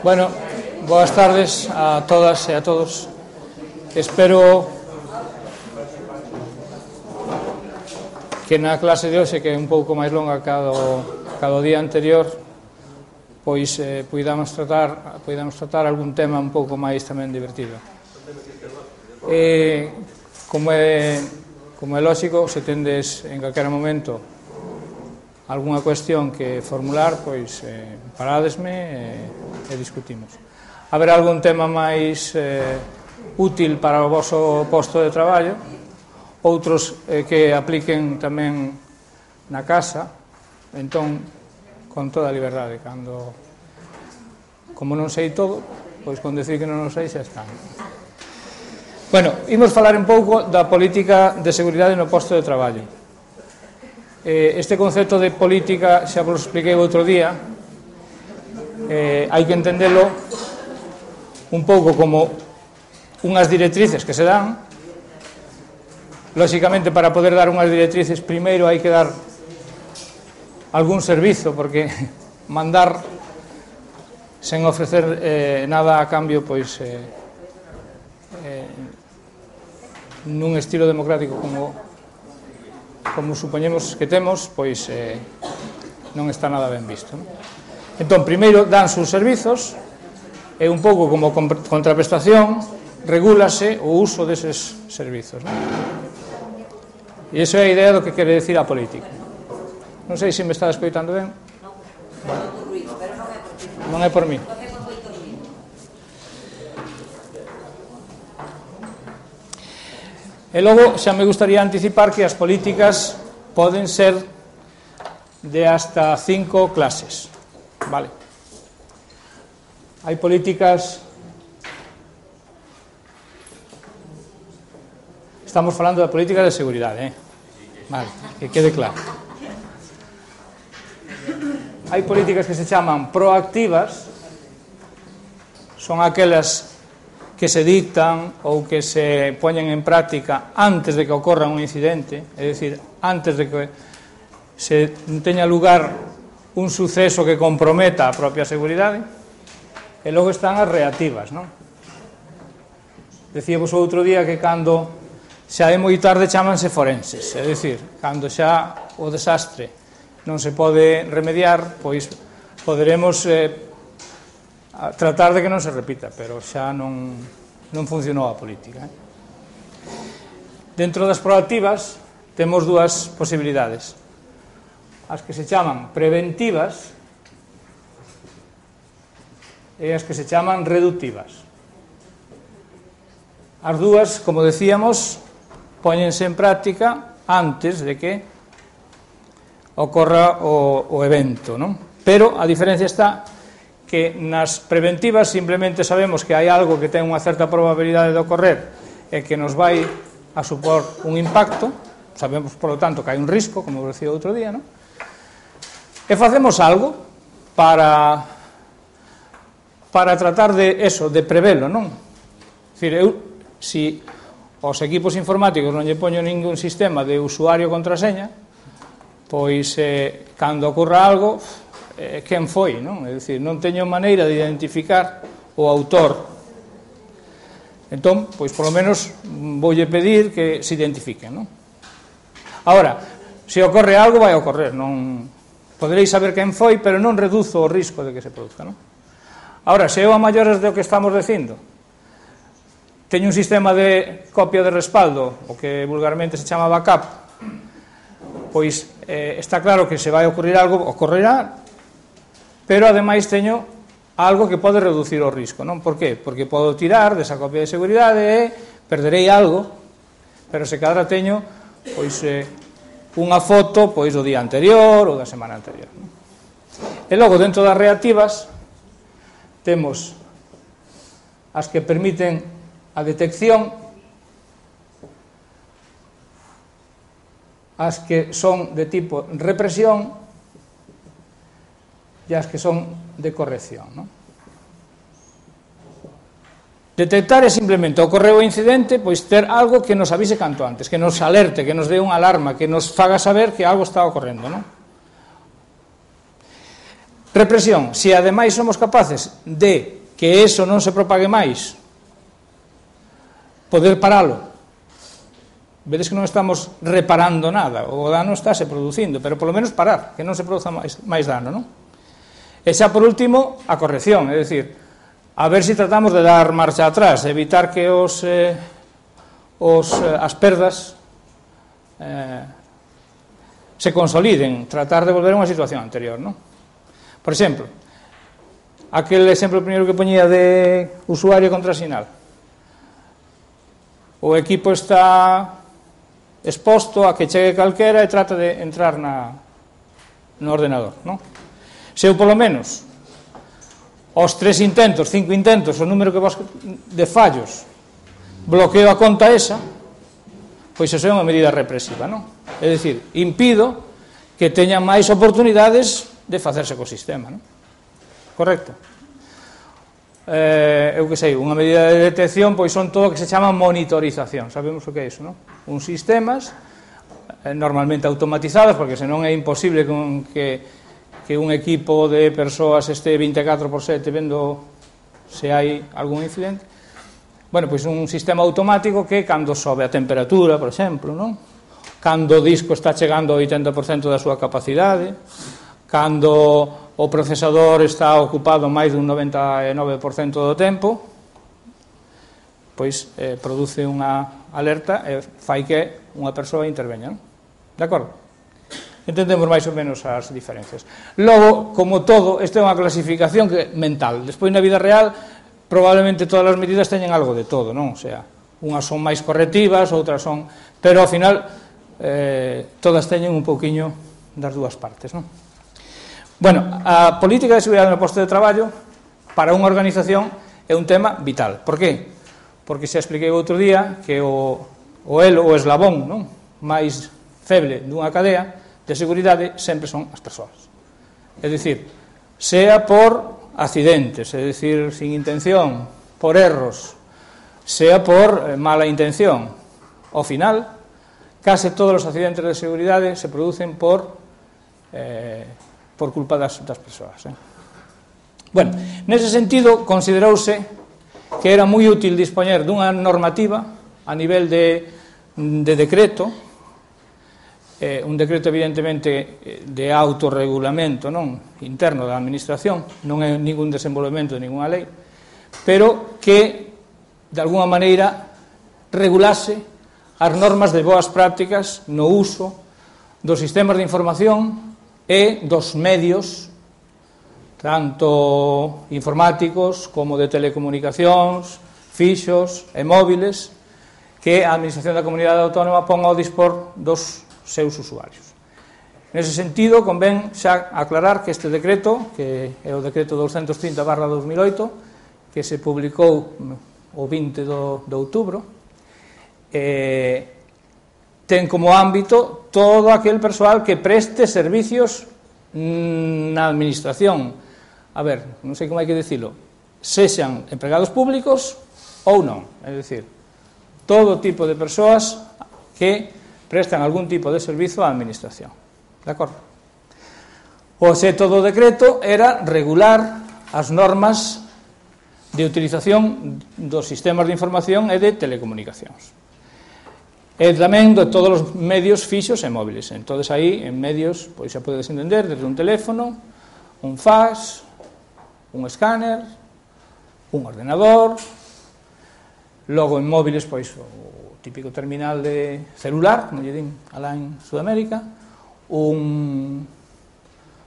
Bueno, boas tardes a todas e a todos. Espero que na clase de hoxe, que é un pouco máis longa cada o día anterior, pois podamos tratar algún tema un pouco máis tamén divertido. Como é lógico, se tendes en calquera momento algunha cuestión que formular, pois parádesme e discutimos. Haberá algún tema máis útil para o voso posto de traballo, outros que apliquen tamén na casa, entón, con toda a liberdade, como non sei todo, pois con decir que non o sei xa está. Bueno, imos falar un pouco da política de seguridade no posto de traballo. Este concepto de política xa vos expliquei outro día. Hai que entendelo un pouco como unhas directrices que se dan. Lóxicamente, para poder dar unhas directrices, primeiro hai que dar algún servizo, porque mandar sen ofrecer nada a cambio, pois nun estilo democrático como supoñemos que temos, pois non está nada ben visto, non? Entón, primeiro danse os servizos e un pouco como contraprestación regúlase o uso deses servizos, non? E iso é a idea do que quere decir a política. Non sei se me está escoitando ben. Non é por mí. E logo xa me gustaría anticipar que as políticas poden ser de hasta 5 clases, vale? Hai políticas... Estamos falando da política de seguridade, vale, que quede claro. Hai políticas que se chaman proactivas, son aquelas que se dictan ou que se poñen en práctica antes de que ocorra un incidente, é dicir, antes de que se teña lugar un suceso que comprometa a propia seguridade, e logo están as reactivas, non? Decíamos outro día que cando xa é moi tarde chámanse forenses, é dicir, cando xa o desastre non se pode remediar, pois poderemos tratar de que non se repita, pero xa non funcionou a política. Dentro das proactivas temos dúas posibilidades. As que se chaman preventivas e as que se chaman reductivas. As dúas, como decíamos, póñense en práctica antes de que ocorra o evento, non? Pero a diferencia está que nas preventivas simplemente sabemos que hai algo que ten unha certa probabilidade de ocorrer e que nos vai a supor un impacto, sabemos, por lo tanto, que hai un risco, como decía outro día, non? E facemos algo para tratar de eso, de prevelo, non? É dicir, se os equipos informáticos non lle poño ningún sistema de usuario contraseña, pois cando ocorra algo, quen foi, non? É dicir, non teño maneira de identificar o autor. Entón, pois, polo menos, voulle pedir que se identifiquen, non? Ahora, se ocorre algo, vai ocorrer, non poderéis saber quen foi, pero non reduzo o risco de que se produzca, non? Ahora, se eu a maiores do que estamos dicindo, teño un sistema de copia de respaldo, o que vulgarmente se chama backup, pois está claro que se vai ocurrir algo, ocorrerá, pero ademais teño algo que pode reducir o risco, non? Por qué? Porque podo tirar desa copia de seguridade e perderei algo, pero se cadra teño pois unha foto pois do día anterior ou da semana anterior, non? E logo, dentro das reactivas, temos as que permiten a detección, as que son de tipo represión e as que son de corrección, non? Detectar é simplemente ocorreu o incidente, pois ter algo que nos avise canto antes, que nos alerte, que nos dé unha alarma, que nos faga saber que algo está ocorrendo, non? Represión, se ademais somos capaces de que eso non se propague máis, poder paralo. Vedes que non estamos reparando nada, o dano está se producindo, pero polo menos parar, que non se produza máis dano, non? E xa por último, a corrección, é dicir, a ver se tratamos de dar marcha atrás, evitar que as perdas se consoliden, tratar de volver a unha situación anterior, non? Por exemplo, aquel exemplo primeiro que poñía de usuario contrasinal. O equipo está exposto a que chegue calquera e trata de entrar no ordenador, non? Se eu, polo menos, aos 3 intentos, 5 intentos, o número de fallos, bloqueo a conta esa, pois iso é unha medida represiva, non? É dicir, impido que teñan máis oportunidades de facerse co sistema, non? Correcto? Eu que sei, unha medida de detección pois son todo o que se chama monitorización, sabemos o que é iso, non? Uns sistemas normalmente automatizados, porque senón é imposible que un equipo de persoas este 24/7 vendo se hai algún incidente. Bueno, pois un sistema automático que cando sobe a temperatura, por exemplo, non? Cando o disco está chegando ao 80% da súa capacidade, cando o procesador está ocupado máis dun 99% do tempo, pois produce unha alerta e fai que unha persoa interveña, non? De acordo? Entendemos máis ou menos as diferencias. Logo, como todo, esta é unha clasificación mental. Despois, na vida real, probablemente todas as medidas teñen algo de todo, non? O sea, unhas son máis correctivas, outras son... Pero, ao final, todas teñen un pouquiño das dúas partes, non? Bueno, a política de seguridade no posto de traballo para unha organización é un tema vital. Por qué? Porque xa expliquei outro día que o elo, o eslabón, non? máis feble dunha cadea de seguridade sempre son as persoas. É dicir, sea por accidentes, é dicir, sin intención, por erros, sea por mala intención. Ao final, case todos os accidentes de seguridade se producen por culpa das persoas. Bueno, nese sentido, considerouse que era moi útil dispoñer dunha normativa a nivel de decreto, un decreto evidentemente de autorregulamento, non interno da administración, non é ningún desenvolvemento de ninguna lei, pero que de alguna maneira regulase as normas de boas prácticas no uso dos sistemas de información e dos medios, tanto informáticos como de telecomunicacións, fixos e móviles, que a Administración da Comunidade Autónoma pon ao dispor dos seus usuarios. Nese sentido, convén xa aclarar que este decreto, que é o decreto 230/2008, que se publicou o 20 de outubro, ten como ámbito todo aquel persoal que preste servicios na administración. A ver, non sei como hai que dicilo, sexan empregados públicos ou non, é dicir, todo tipo de persoas que prestan algún tipo de servizo á administración. De acordo? O obxecto do decreto era regular as normas de utilización dos sistemas de información e de telecomunicacións. E tamén de todos os medios fixos e móviles. Entón, aí, en medios, pois xa podedes entender, desde un teléfono, un fax, un escáner, un ordenador, logo en móviles, pois, o típico terminal de celular, como lle din alá en Sudamérica, unha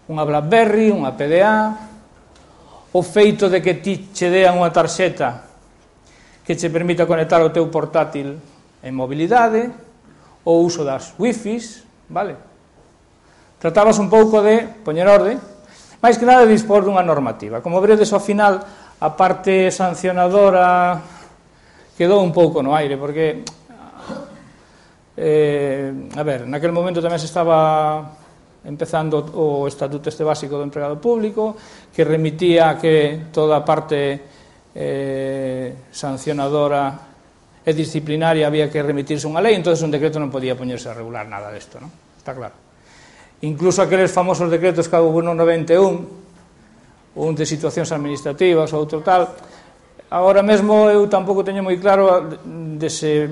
BlackBerry, unha PDA, o feito de que ti che dean unha tarxeta que che permita conectar o teu portátil en mobilidade, o uso das wifis, vale? Tratabas un pouco de poñer orde, máis que nada de dispor dunha normativa. Como veredes ao final, a parte sancionadora quedou un pouco no aire, porque a ver, naquel momento tamén se estaba empezando o estatuto este básico do empregado público, que remitía que toda a parte sancionadora e disciplinaria había que remitirse unha lei, entonces un decreto non podía poñerse a regular nada desto, non? Está claro. Incluso aqueles famosos decretos que houve no 91, un de situacións administrativas, outro tal. Agora mesmo eu tampouco teño moi claro de se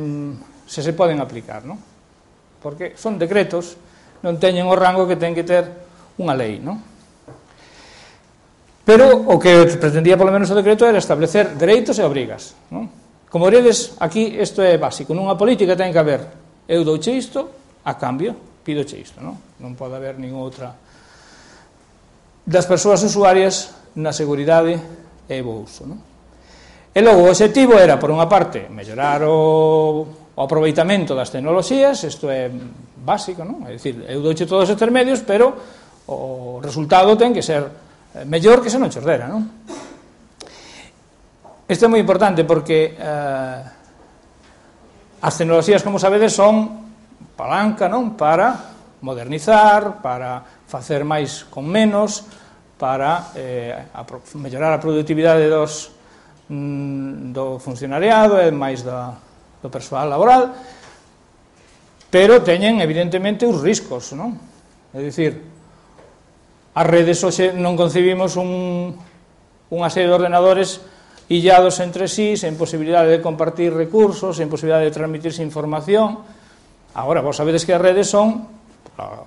se poden aplicar, non? Porque son decretos, non teñen o rango que ten que ter unha lei, non? Pero o que pretendía polo menos o decreto era establecer dereitos e obrigas, non? Como veredes, aquí isto é básico, nunha política ten que haber, eu douche isto, a cambio, pídoche isto, non? Non pode haber ningún outra das persoas usuarias na seguridade e bo uso, non? E logo o objetivo era, por unha parte, mellorar o aproveitamento das tecnoloxías, isto é básico, non? É dicir, eu douche todos estes medios, pero o resultado ten que ser mellor que se non chordera, non? Isto é moi importante porque as tecnoloxías, como sabedes, son palanca, non? Para modernizar, para facer máis con menos, para mellorar a productividade do funcionariado e máis do persoal laboral, pero teñen evidentemente os riscos, non? É dicir, as redes hoxe non concebimos unha serie de ordenadores illados entre sí, sen posibilidade de compartir recursos, sen posibilidade de transmitirse información. Agora, vos sabedes que as redes son,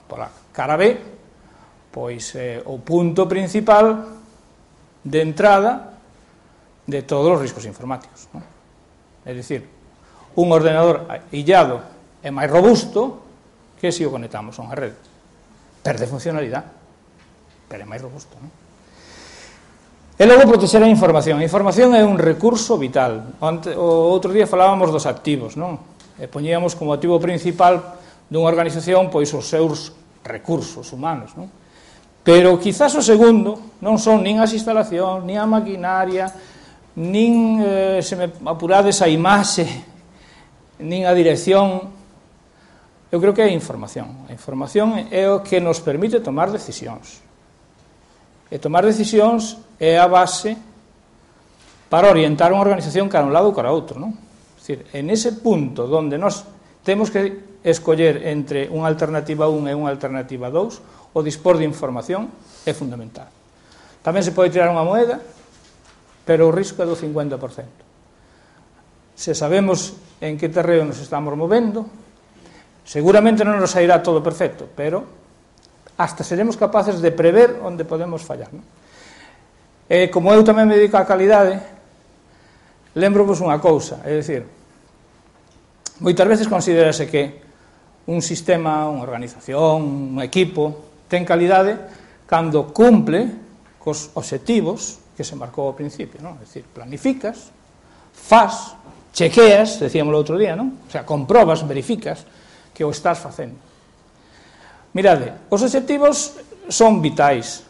pola cara B, pois o punto principal de entrada de todos os riscos informáticos, non? É dicir, un ordenador illado é máis robusto que se o conectamos a unha rede. Perde funcionalidade, pero é máis robusto, non? E logo protexer a información. A información é un recurso vital. O outro día falábamos dos activos, non? E poñíamos como activo principal dunha organización pois os seus recursos humanos, non? Pero quizás o segundo non son nin as instalacións, nin a maquinaria, nin, se me apurades, a imaxe, nin a dirección. Eu creo que é a información. A información é o que nos permite tomar decisións. E tomar decisións é a base para orientar unha organización cara a un lado ou cara a outro, non? É dicir, en ese punto onde nós temos que escoller entre unha alternativa 1 e unha alternativa 2, o dispor de información é fundamental. Tamén se pode tirar unha moeda, pero o risco é do 50%. Se sabemos en que terreo nos estamos movendo, seguramente non nos sairá todo perfecto, pero hasta seremos capaces de prever onde podemos fallar, non? E como eu tamén me dedico á calidade, lembro-vos unha cousa, é dicir, moitas veces considerase que un sistema, unha organización, un equipo, ten calidade cando cumple cos obxectivos que se marcou ao principio, non? É dicir, planificas, fas, chequeas, decíamos o outro día, non? O sea, comprobas, verificas que o estás facendo. Mirade, os obxectivos son vitais.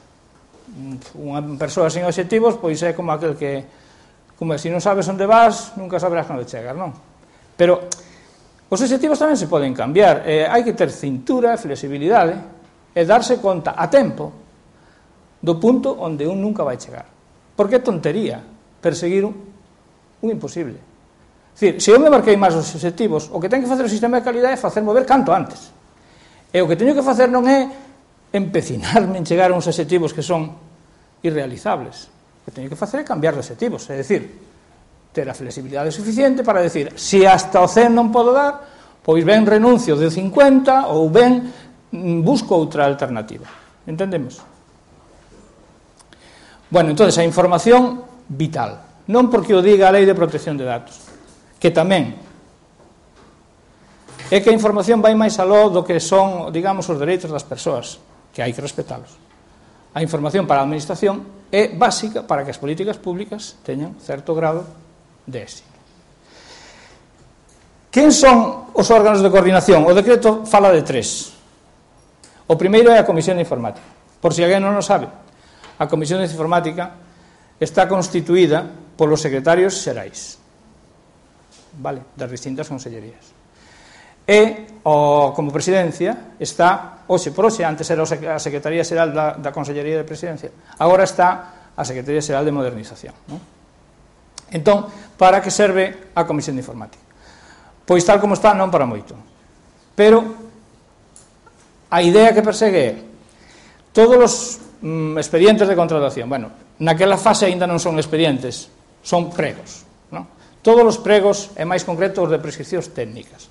Unha persoa sin obxectivos pois é como aquel que, como se non sabes onde vas, nunca saberás onde chegas, non? Pero os obxectivos tamén se poden cambiar. Hai que ter cintura, flexibilidade e darse conta a tempo do punto onde un nunca vai chegar. Porque é tontería perseguir un imposible. É dicir, se eu me marquei máis os obxectivos, o que ten que facer o sistema de calidade é facer mover canto antes. E o que teño que facer non é empecinarme en chegar a uns obxectivos que son irrealizables. O que teño que facer é cambiar de obxectivos, é dicir, ter a flexibilidade suficiente para decir, se hasta o 100 non podo dar, pois ben renuncio de 50 ou ben busco outra alternativa. Entendemos? Bueno, entonces, a información vital. Non porque o diga a Lei de Protección de Datos, que tamén é que a información vai máis aló do que son, digamos, os dereitos das persoas, que hai que respetalos. A información para a administración é básica para que as políticas públicas teñan certo grado de éxito. Quen son os órganos de coordinación? O decreto fala de 3. O primeiro é a Comisión de Informática. Por si alguén non o sabe, a Comisión de Informática está constituída polos secretarios xerais, vale, das distintas consellerías. E, como presidencia, está, hoxe por hoxe, antes era a Secretaría Xeral da Consellería de Presidencia, agora está a Secretaría Xeral de Modernización, non? Entón, para que serve a Comisión de Informática? Pois tal como está, non para moito. Pero a idea que persegue é todos os expedientes de contratación. Bueno, naquela fase aínda non son expedientes, son pregos, non? Todos os pregos, e máis concreto os de prescripcións técnicas,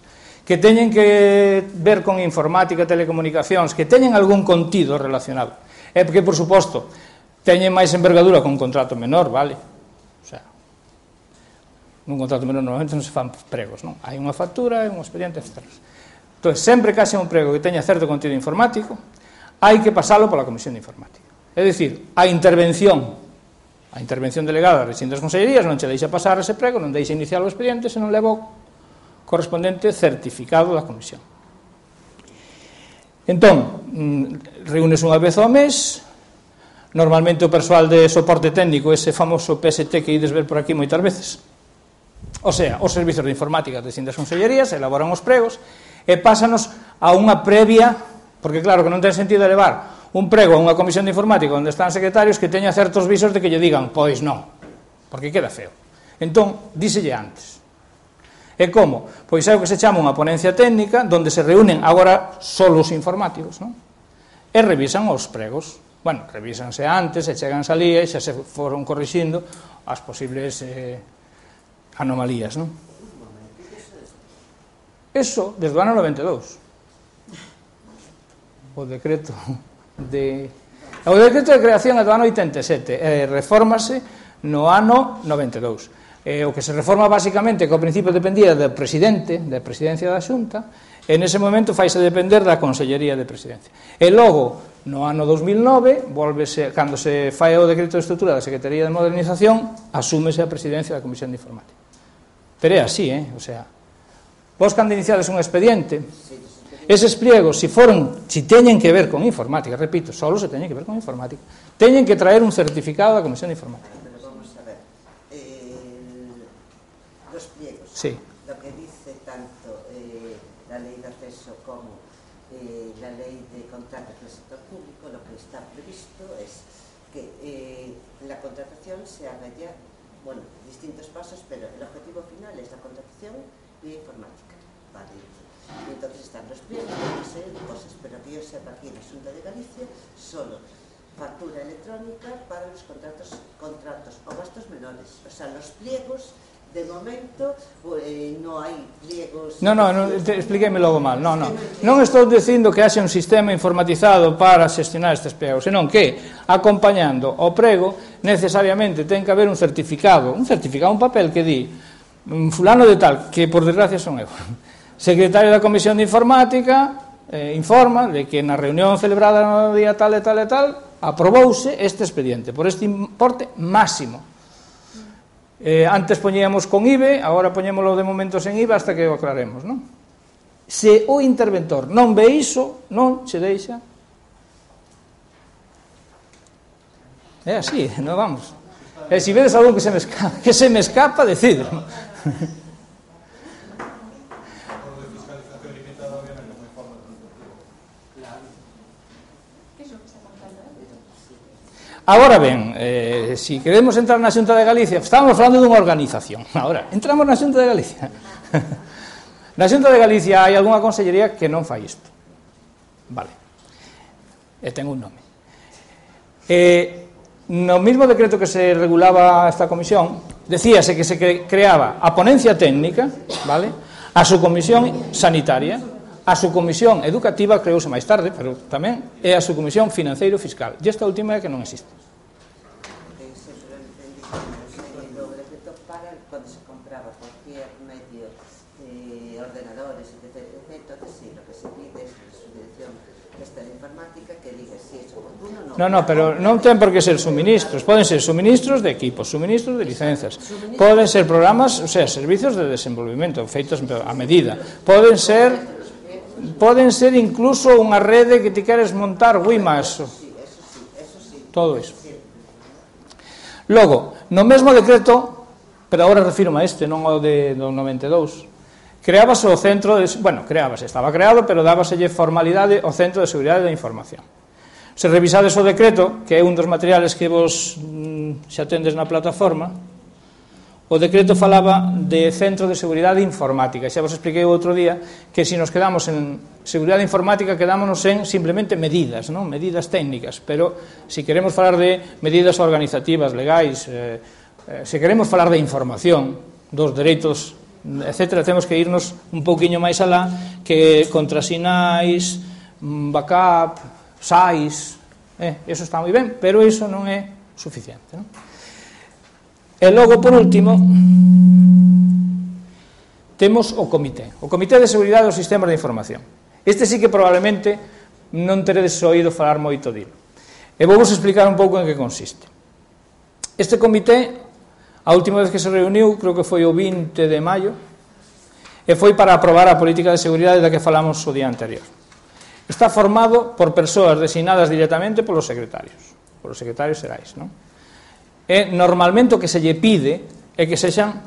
que teñen que ver con informática, telecomunicacións, que teñen algún contido relacionado, e porque, por suposto, teñen máis envergadura con un contrato menor, vale? O sea, nun contrato menor normalmente non se fan pregos, non? Hai unha factura e un expediente, etc. Entón, sempre que haxe un prego que teña certo contido informático, hai que pasalo pola Comisión de Informática. É dicir, a intervención delegada das distintas consellerías non che deixa pasar ese prego, non deixa iniciar o expediente se non leva o correspondente certificado da Comisión. Entón, reúnes unha vez ao mes, normalmente o persoal de soporte técnico, ese famoso PST que ides ver por aquí moitas veces, o sea, os servizos de informática das distintas consellerías elaboran os pregos e pásanos a unha previa, porque claro que non ten sentido elevar un prego a unha comisión de informática onde están secretarios que teña certos visos de que lle digan, pois non, porque queda feo. Entón, díselle antes. E como? Pois é o que se chama unha ponencia técnica onde se reúnen agora só os informáticos, non? E revisan os pregos. Bueno, revísanse antes, e chegan salía e xa se foron corrixindo as posibles anomalías, non? Eso, desde o ano 92. O decreto de creación é do ano 87, refórmase no ano 92. O que se reforma basicamente que ao principio dependía do presidente, da presidencia da Xunta, e nese momento faise depender da Consellería de Presidencia. E logo, no ano 2009, volvese, cando se fai o decreto de estrutura da Secretaría de Modernización, asúmese a presidencia da Comisión de Informática. Pero é así, o sea, vos cando iniciades un expediente, eses pliegos, si teñen que ver con informática, repito, solo se teñen que ver con informática, teñen que traer un certificado da Comisión de Informática. Pero vamos a ver, los pliegos, sí. Lo que dice tanto la ley de acceso como la ley de contratos del sector público, lo que está previsto es que la contratación se haga ya, bueno, distintos pasos, pero el objetivo final es la contratación vía informática, ¿vale? Y entonces están los pliegos, una serie de cosas, pero que yo sepa aquí en la Xunta de Galicia, solo factura electrónica para los contratos o gastos menores. O sea, los pliegos, de momento, no hai pliegos... Non, explíqueme logo mal. Non estou dicindo que haxe un sistema informatizado para xestionar estes pregos, senón que, acompañando o prego, necesariamente ten que haber un certificado, un papel que di fulano de tal, que por desgracia son eu, secretario da Comisión de Informática, informa de que na reunión celebrada no día tal e tal e tal aprobouse este expediente por este importe máximo. Antes poñíamos con IBE, agora poñémolo de momento sen IVA hasta que o aclaremos, non? Se o interventor non ve iso, non se deixa. É así, non vamos. E se vedes algo que se me escapa, decido. Agora ben, se queremos entrar na Xunta de Galicia, estamos falando dunha organización. Agora, entramos na Xunta de Galicia. Na Xunta de Galicia hai algunha consellería que non fai isto. Vale. E ten un nome. No mismo decreto que se regulaba esta comisión, decíase que se creaba a ponencia técnica, vale? A subcomisión sanitaria, a subcomisión educativa creouse máis tarde, pero tamén é a subcomisión financeiro-fiscal. E esta última é que non existe. O decreto para cando se compraba cualquier medio, ordenadores, etc. Entonces, sí, lo que se pide es la subdirección esta de informática que diga si es oportuno o non. Non, pero non ten por que ser suministros. Poden ser suministros de equipos, suministros de licencias. Poden ser programas, o sea, servicios de desenvolvimento feitos a medida. Poden ser incluso unha rede que ti queres montar WiMAX. Todo iso. Logo, no mesmo decreto, pero agora refirmo a este, non ao do 92, creábase o centro, estaba creado, pero dábaselle formalidade ao Centro de Seguridade da Información. Se revisades o decreto, que é un dos materiales que vos xa tendes na plataforma, o decreto falaba de Centro de Seguridade Informática. Xa vos expliquei outro día que se nos quedamos en seguridade informática quedámonos en simplemente medidas, non? Medidas técnicas, pero se queremos falar de medidas organizativas, legais, se queremos falar de información, dos dereitos, etc., temos que irnos un pouquiño máis alá que contrasinais, backup, SAIS, eso está moi ben, pero iso non é suficiente, non? E logo, por último, temos o Comité de Seguridade dos Sistemas de Información. Este sí que probablemente non teredes oído falar moito dilo. E vou vos explicar un pouco en que consiste. Este comité, a última vez que se reuniu, creo que foi o 20 de maio, e foi para aprobar a política de seguridade da que falamos o día anterior. Está formado por persoas designadas directamente polos secretarios xerais, non? E normalmente o que se lle pide é que sexan,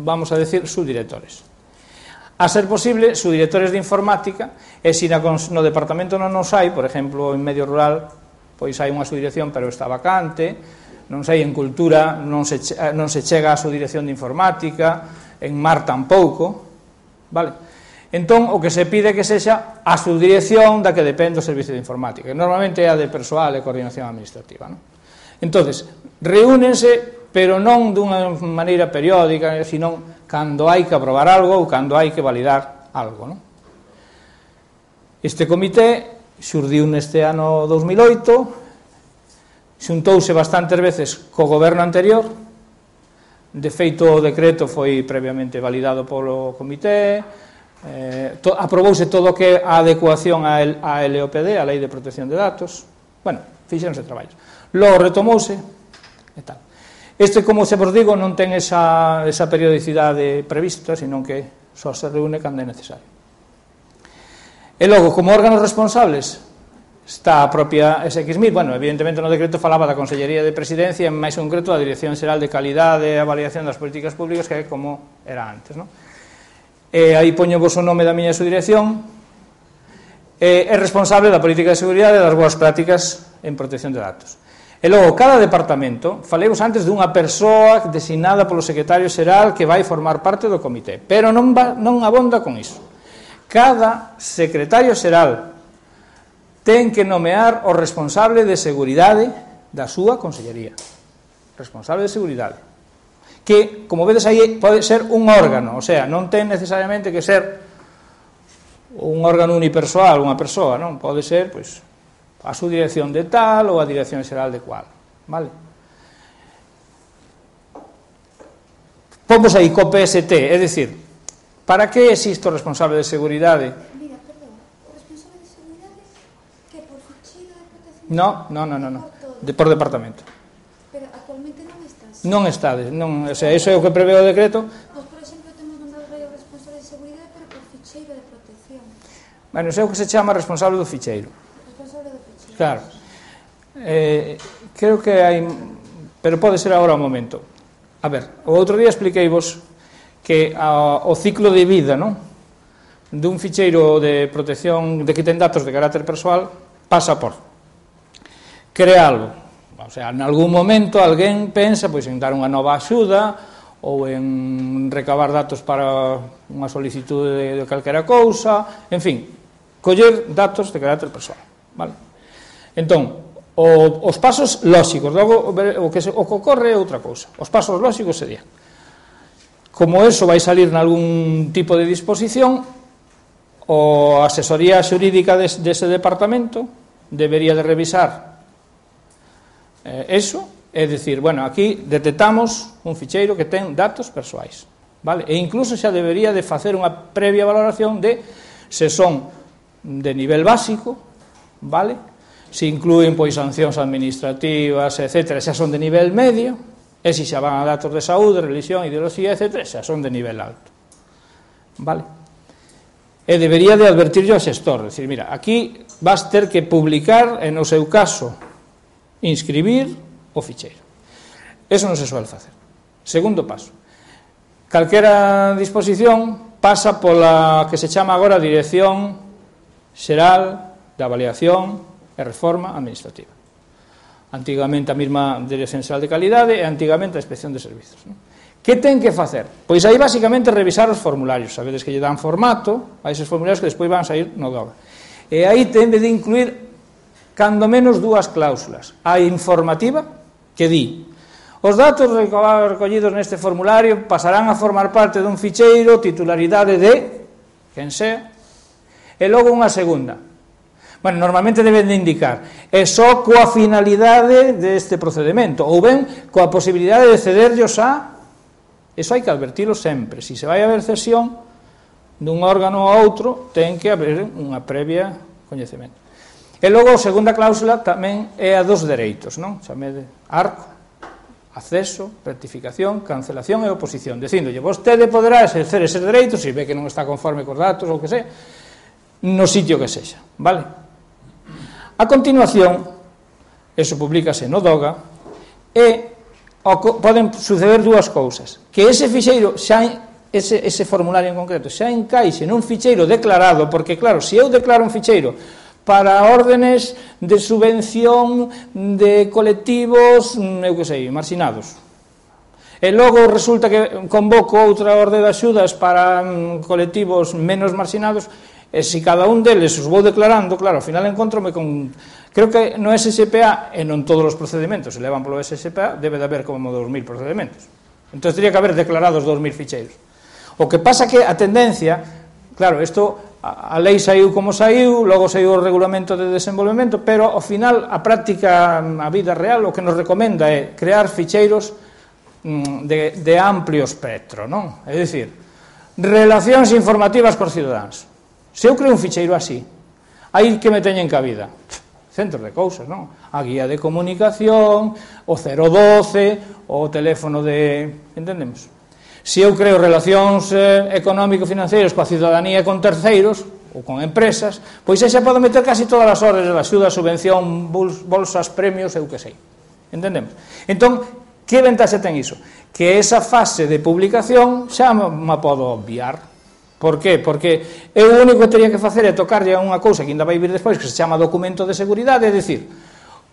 vamos a decir, subdirectores. A ser posible, subdirectores de informática, e se no departamento non nos hai, por exemplo, en medio rural, pois hai unha subdirección, pero está vacante, non sei, en cultura non se chega a subdirección de informática, en mar tampouco, vale? Entón, o que se pide é que sexa a subdirección da que depende o servicio de informática, que normalmente é a de persoal e coordinación administrativa, non? Entonces, reúnense, pero non dunha maneira periódica, sino cando hai que aprobar algo ou cando hai que validar algo, non? Este comité xurdiu neste ano 2008, xuntouse bastantes veces co goberno anterior, de feito o decreto foi previamente validado polo comité, aprobouse todo o que a adecuación á LOPD, a Lei de Protección de Datos, bueno, fixeronse traballos. Logo retomouse e tal. Este, como se vos digo, non ten esa periodicidade prevista, senón que só se reúne cando é necesario. E logo, como órganos responsables, está a propia SXMIR, bueno, evidentemente no decreto falaba da Consellería de Presidencia, en máis concreto a Dirección Xeral de Calidade e Avaliación das Políticas Públicas, que é como era antes, non? E aí poño vos o nome da miña subdirección, é responsable da política de seguridade e das boas prácticas en protección de datos. E logo, cada departamento, faleivos antes dunha persoa designada polo secretario xeral que vai formar parte do comité, pero non abonda con iso. Cada secretario xeral ten que nomear o responsable de seguridade da súa consellería. Responsable de seguridade. Que, como vedes aí, pode ser un órgano, o sea, non ten necesariamente que ser un órgano unipersoal, unha persoa, non? Pode ser, pois, a subdirección de tal ou a dirección xeral de cual, vale? Pomos aí co PST, é dicir, para que existe o responsable de seguridade? Mira, perdón, o responsable de seguridade que por ficheiro de protección... No, por departamento. Pero actualmente non estás. Non estades, non, o sea, iso é o que prevé o decreto. Pois, por exemplo, temos mandado o responsable de seguridade, pero por ficheiro de protección. Bueno, iso é o que se chama responsable do ficheiro. Responsable do ficheiro. Claro. Creo que hai, pero pode ser agora o momento. A ver, o outro día expliqueivos que o ciclo de vida, non, dun ficheiro de protección de que ten datos de carácter persoal pasa por crealo, o sea, en algún momento alguén pensa pois en dar unha nova axuda ou en recabar datos para unha solicitude de calquera cousa, en fin, coller datos de carácter persoal, vale? Entón, os pasos lóxicos, logo o que ocorre é outra cousa. Os pasos lóxicos serían, como eso vai salir nalgún tipo de disposición, a asesoría xurídica dese departamento debería de revisar eso, é dicir, bueno, aquí detectamos un ficheiro que ten datos persoais, vale? E incluso xa debería de facer unha previa valoración de se son de nivel básico, vale? Se inclúen pois sancións administrativas, etc., xa son de nivel medio, e se xa van a datos de saúde, religión, ideoloxía, etc., xa son de nivel alto, vale? E debería de advertirlle ao xestor, decir, mira, aquí vas ter que publicar, e no seu caso inscribir o ficheiro. Eso non se suele facer. Segundo paso, calquera disposición pasa pola que se chama agora Dirección Xeral de Avaliación e Reforma Administrativa. Antigamente a mesma Dirección Xeral de Calidade e antigamente a Inspección de Servizos, non? Que ten que facer? Pois aí basicamente revisar os formularios, sabedes que lle dan formato a eses formularios que despois van sair no DOGA. E aí ten de incluir cando menos dúas cláusulas. A informativa, que di: os datos recollidos neste formulario pasarán a formar parte dun ficheiro titularidade de quen sea, e logo unha segunda. Bueno, normalmente deben de indicar é só coa finalidade deste procedimento, ou ben coa posibilidade de cederllos a... Eso hai que advertilo sempre. Se vai haber cesión dun órgano a outro, ten que haber unha previa coñecemento. E logo a segunda cláusula tamén é a dos dereitos, non? Chamede arco, acceso, rectificación, cancelación e oposición, dicíndolle, vostede poderá exercer eses dereitos, se ve que non está conforme cos datos ou que sea, no sitio que sexa, vale? A continuación, eso publícase no DOGA, e poden suceder dúas cousas: que ese fixeiro ese formulario en concreto xa encaixe nun ficheiro declarado, porque claro, se eu declaro un ficheiro para órdenes de subvención de colectivos, eu que sei, marxinados, e logo resulta que convoco outra orde de axudas para colectivos menos marxinados, e se cada un deles os vou declarando, claro, ao final encontrome con... Creo que no SSPA, e non todos os procedimentos se levan polo SSPA, debe de haber como 2.000 procedimentos. Entón, teria que haber declarados 2.000 ficheiros. O que pasa que a tendencia, claro, isto, a lei saiu como saiu, logo saiu o regulamento de desenvolvemento, pero ao final a práctica, a vida real, o que nos recomenda é crear ficheiros de amplio espectro, non? É dicir, relacións informativas cos cidadáns. Se eu creo un ficheiro así, aí que me teñen cabida centros de cousas, non? A guía de comunicación, o 012, o teléfono de... Entendemos? Se eu creo relacións económico-financeiras coa cidadanía e con terceiros, ou con empresas, pois aí xa podo meter casi todas as órdenes de axuda, subvención, bolsas, premios, eu que sei. Entendemos? Entón, que ventaxe ten iso? Que esa fase de publicación xa me podo obviar. Por qué? Porque eu o único que teria que facer é tocarlle a unha cousa que ainda vai vir despois, que se chama documento de seguridade, é dicir,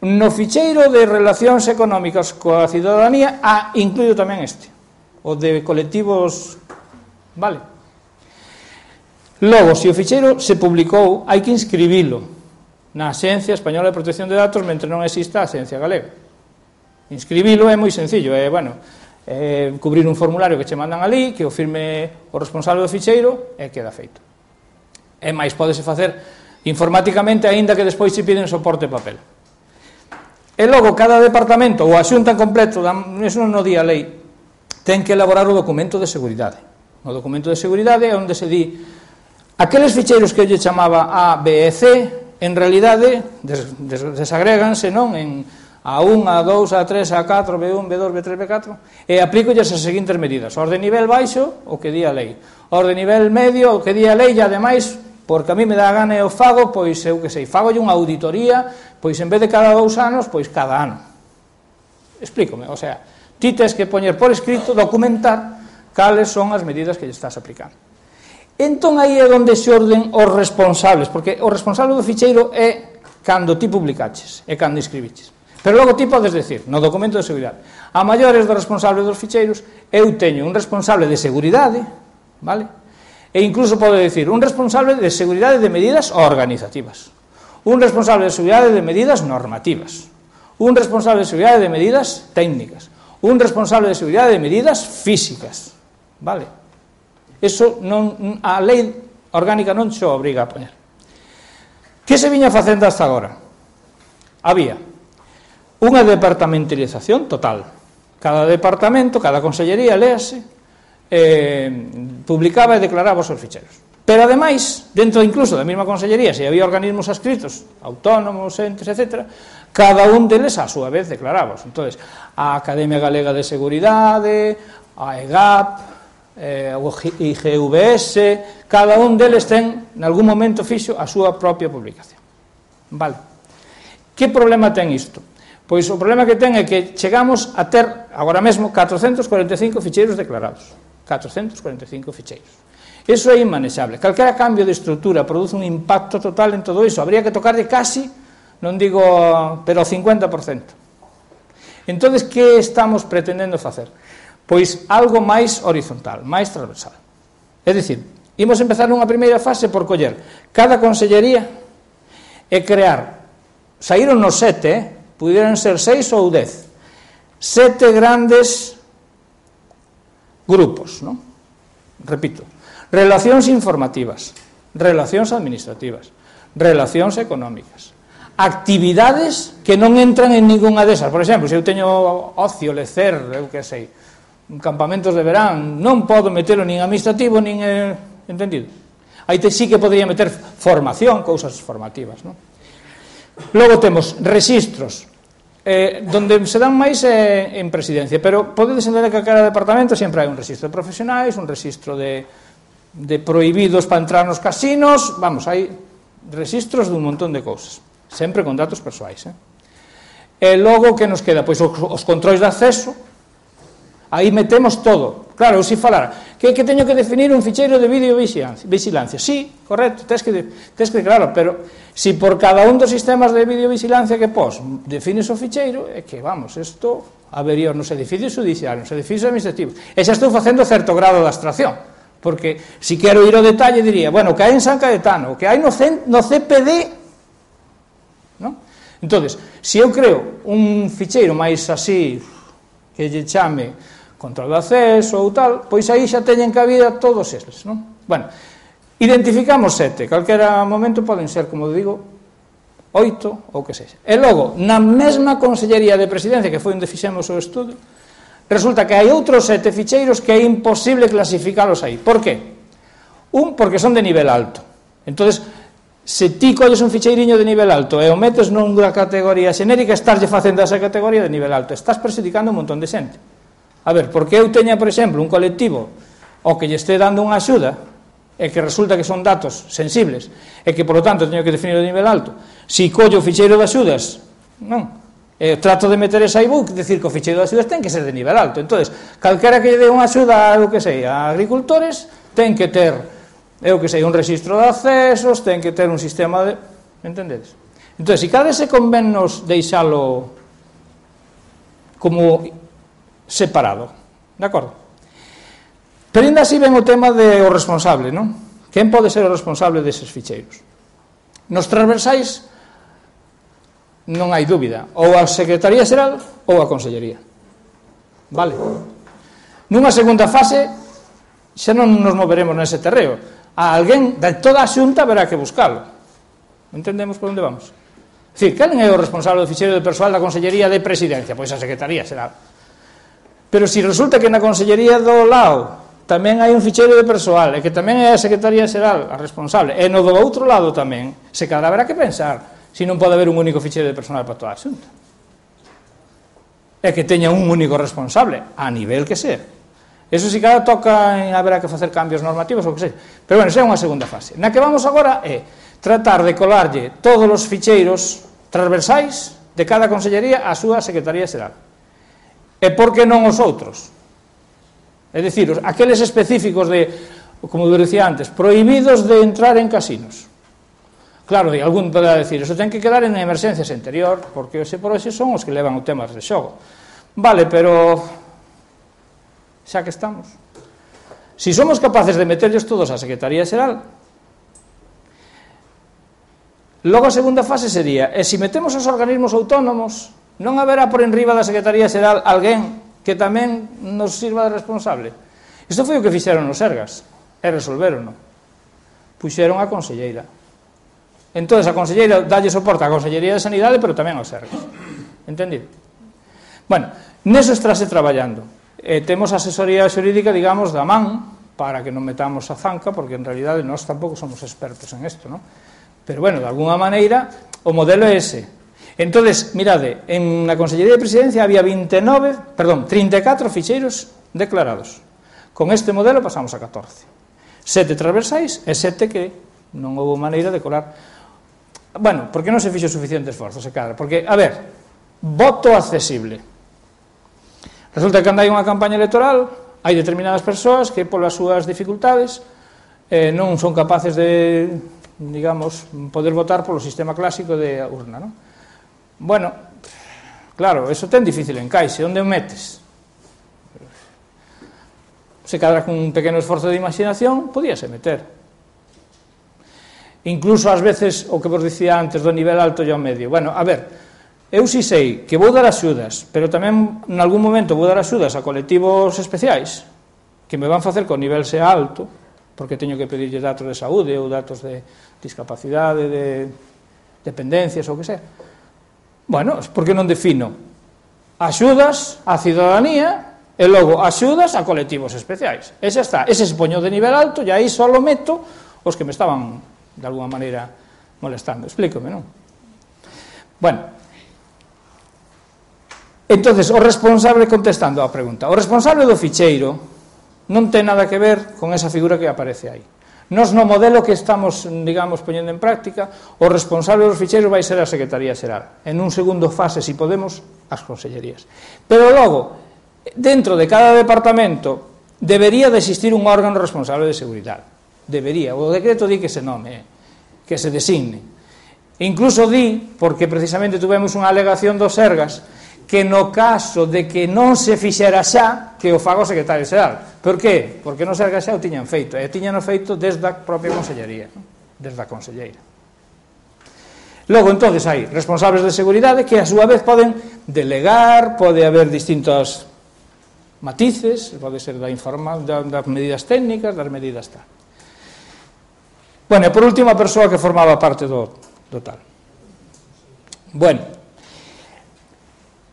no ficheiro de relacións económicas coa cidadanía, incluído tamén este, o de colectivos, vale? Logo, se o ficheiro se publicou, hai que inscribilo na Axencia Española de Protección de Datos mentre non exista a Axencia Galega. Inscribilo é moi sencillo, cubrir un formulario que che mandan ali, que o firme o responsable do ficheiro e queda feito. E máis, pódese facer informáticamente, aínda que despois se piden soporte papel. E logo, cada departamento ou a xunta en completo, eso non o di a lei, ten que elaborar o documento de seguridade. O documento de seguridade é onde se di aqueles ficheiros que eu lle chamaba A, B e C, en realidade desagréganse, non, en A1, A2, A3, A4, B1, B2, B3, B4, e aplícolles as seguintes medidas. Orde nivel baixo, o que di a lei. Orde nivel medio, o que di a lei, e ademais, porque a mí me dá gana e o fago, pois eu que sei, fagolle unha auditoría, pois en vez de cada 2 anos, pois cada ano. Explícome, o sea, ti tes que poñer por escrito, documentar cales son as medidas que lle estás aplicando. Entón aí é onde se orden os responsables, porque o responsable do ficheiro é cando ti publicaches, e cando inscribiches. Pero logo ti podes decir, no documento de seguridade, a maiores dos responsables dos ficheiros, eu teño un responsable de seguridade, vale? E incluso pode decir, un responsable de seguridade de medidas organizativas, un responsable de seguridade de medidas normativas, un responsable de seguridade de medidas técnicas, un responsable de seguridade de medidas físicas, vale? Eso non, a lei orgánica non xo obriga a poñer. Que se viña facendo hasta agora? Había unha departamentalización total. Cada departamento, cada consellería, léase, publicaba e declaraba os seus ficheiros. Pero, ademais, dentro incluso da mesma consellería, se había organismos adscritos, autónomos, entes, etc., cada un deles, a súa vez, declaraba. Entón, a Academia Galega de Seguridade, a EGAP, o IGVS, cada un deles ten, en algún momento fixo, a súa propia publicación. Vale. Que problema ten isto? Pois o problema que ten é que chegamos a ter, agora mesmo, 445 ficheiros declarados. 445 ficheiros. Iso é inmanexable. Calquera cambio de estrutura produce un impacto total en todo iso. Habría que tocarlle casi, non digo, pero o 50%. Entón, que estamos pretendendo facer? pois algo máis horizontal, máis transversal. É dicir, imos empezar nunha primeira fase por coller cada consellería e crear, saíron nos 7, puderan ser 6 ou 10, 7 grandes grupos, non? Repito, relacións informativas, relacións administrativas, relacións económicas, actividades que non entran en ninguna desas. Por exemplo, se eu teño ocio, lecer, eu que sei, campamentos de verán, non podo metelo nin administrativo, nin entendido. Aí sí que podría meter formación, cousas formativas, non? Logo temos registros, donde se dan máis en presidencia, pero podedes entender que a cada departamento sempre hai un registro de profesionais, un registro de prohibidos para entrar nos casinos, vamos, hai registros dun montón de cousas, sempre con datos persoais. E logo, que nos queda? Pois os controis de acceso, aí metemos todo. Claro, eu si falara, que teño que definir un ficheiro de videovigilancia. Sí, correcto, tens que claro, pero si por cada un dos sistemas de videovigilancia que pos defines o ficheiro, é que, vamos, isto habería nos edificios judiciais, nos edificios administrativos. E xa estou facendo certo grado de abstracción, porque si quero ir ao detalle diría, bueno, o que hai en San Caetano, o que hai no CPD, non? Entonces, se eu creo un ficheiro máis así, que lle chame control de acceso ou tal, pois aí xa teñen cabida todos eles, non? Bueno, identificamos 7, calquera momento poden ser, como digo, 8 ou que sexa. E logo, na mesma Consellería de Presidencia, que foi onde fixemos o estudo, resulta que hai outros 7 ficheiros que é imposible clasificalos aí. Por qué? Porque son de nivel alto. Entonces, se ti colles un ficheiriño de nivel alto e o metes nunha categoría xenérica, estarlle facendo esa categoría de nivel alto. Estás perxudicando un montón de xente. A ver, porque eu teña, por exemplo, un colectivo o que lle este dando unha axuda e que resulta que son datos sensibles e que, por lo tanto, teño que definir o nivel alto. Si collo o ficheiro de axudas, non, trato de meter esa iBook, decir que o ficheiro de axudas ten que ser de nivel alto. Entonces, calquera que lle dé unha axuda a, eu que sei, a agricultores, ten que ter, eu que sei, un registro de accesos, ten que ter un sistema de... Entendedes? Entón, se cada ese convennos deixalo como separado, de acordo? Pero ainda así ven o tema do responsable, non? Quen pode ser o responsable deses ficheiros? Nos transversais non hai dúbida, ou a Secretaría Xeral ou a Consellería. Vale? Nunha segunda fase xa non nos moveremos nese terreo. A alguén de toda a xunta verá que buscalo. Entendemos por onde vamos? É dicir, quen é o responsable do ficheiro de persoal da Consellería de Presidencia? Pois a Secretaría Xeral. Pero se resulta que na Consellería do lado tamén hai un ficheiro de persoal e que tamén é a Secretaría Xeral a responsable, e no do outro lado tamén, se cada haberá que pensar se non pode haber un único ficheiro de persoal para toda a xunta. E que teña un único responsable, a nivel que sea. Eso si cada toca, haberá que facer cambios normativos ou que sea. Pero bueno, esa é unha segunda fase. Na que vamos agora é tratar de colarlle todos os ficheiros transversais de cada consellería á súa Secretaría Xeral. E por que non os outros? É dicir, aqueles específicos de, como eu dicía antes, prohibidos de entrar en casinos. Claro, algún poderá decir, eso ten que quedar en emerxencias interior, porque ese por ese son os que levan o tema de xogo. Vale, pero xa que estamos, si somos capaces de meterlos todos á Secretaría Xeral, logo a segunda fase sería, e se metemos os organismos autónomos, non haberá por enriba da Secretaría Xeral alguén que tamén nos sirva de responsable. Isto foi o que fixeron nos Sergas, e resolveron. Puxeron a conselleira. Entón, a conselleira dalle soporte á Consellería de Sanidade, pero tamén aos Sergas. Entendido? Bueno, neso estáse traballando. Temos asesoría xurídica, digamos, da man, para que non metamos a zanca, porque en realidade nós tampouco somos expertos en isto, non? Pero, bueno, de alguna maneira, o modelo é ese. Entonces, mirade, en la Consellería de Presidencia había 34 ficheiros declarados. Con este modelo pasamos a 14. 7 transversais e 7 que non houve maneira de colar. Bueno, porque non se fixo suficiente esforzo, se cadra. Porque, a ver, voto accesible. Resulta que cando hai unha campaña electoral, hai determinadas persoas que, polas súas dificultades, non son capaces de, digamos, poder votar polo sistema clásico de urna, non? Bueno, claro, eso ten difícil encaixe. Onde o metes? se cadra con un pequeno esforzo de imaginación, podíase meter. Incluso ás veces, o que vos dicía antes, do nivel alto e ao medio. Bueno, a ver, eu si sei que vou dar axudas, pero tamén en algún momento vou dar axudas a colectivos especiais, que me van facer que o nivel sea alto, porque teño que pedirlle datos de saúde ou datos de discapacidade, de dependencias ou que sea. Bueno, por que non defino axudas á cidadanía e logo axudas a colectivos especiais? E xa está, ese se poño de nivel alto e aí só lo meto os que me estaban de alguna maneira molestando. Explícome, non? Bueno, entonces o responsable, contestando á pregunta, o responsable do ficheiro non ten nada que ver con esa figura que aparece aí. Nos no modelo que estamos, digamos, poñendo en práctica, o responsable dos ficheiros vai ser a Secretaría Xeral. En un segundo fase, si podemos, as consellerías. Pero logo, dentro de cada departamento, debería de existir un órgano responsable de seguridade. Debería. O decreto di que se nome, que se designe. Incluso di, porque precisamente tuvemos unha alegación dos Sergas, que no caso de que non se fixera xa, que o faga o secretario xeral. Por qué? Porque no Sergas xa o tiñan feito, e tiñan feito desde a propia consellería, desde a conselleira. Logo, entonces, hai responsables de seguridade que a súa vez poden delegar, pode haber distintos matices, pode ser das medidas técnicas, das medidas tal. Bueno, e por último, a persoa que formaba parte do tal. Bueno,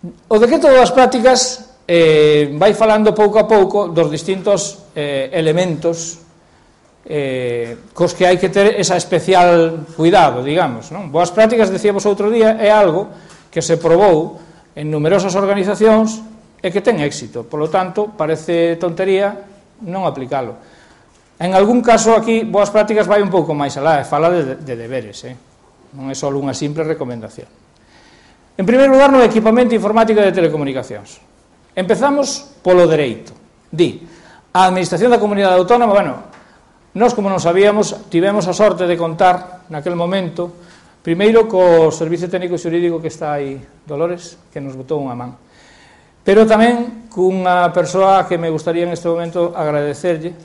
o decreto das prácticas vai falando pouco a pouco dos distintos elementos cos que hai que ter esa especial cuidado, digamos, non? Boas prácticas, decíamos outro día, é algo que se probou en numerosas organizacións e que ten éxito, polo tanto, parece tontería non aplicalo. En algún caso aquí, boas prácticas vai un pouco máis alá, fala de deberes, non é só unha simple recomendación. En primeiro lugar, no equipamento informático de telecomunicacións. Empezamos polo dereito. Di, a Administración da Comunidade Autónoma, bueno, nós como non sabíamos, tivemos a sorte de contar naquel momento, primeiro co Servicio Técnico Xurídico que está aí, Dolores, que nos botou unha man, pero tamén cunha persoa que me gustaría en este momento agradecerlle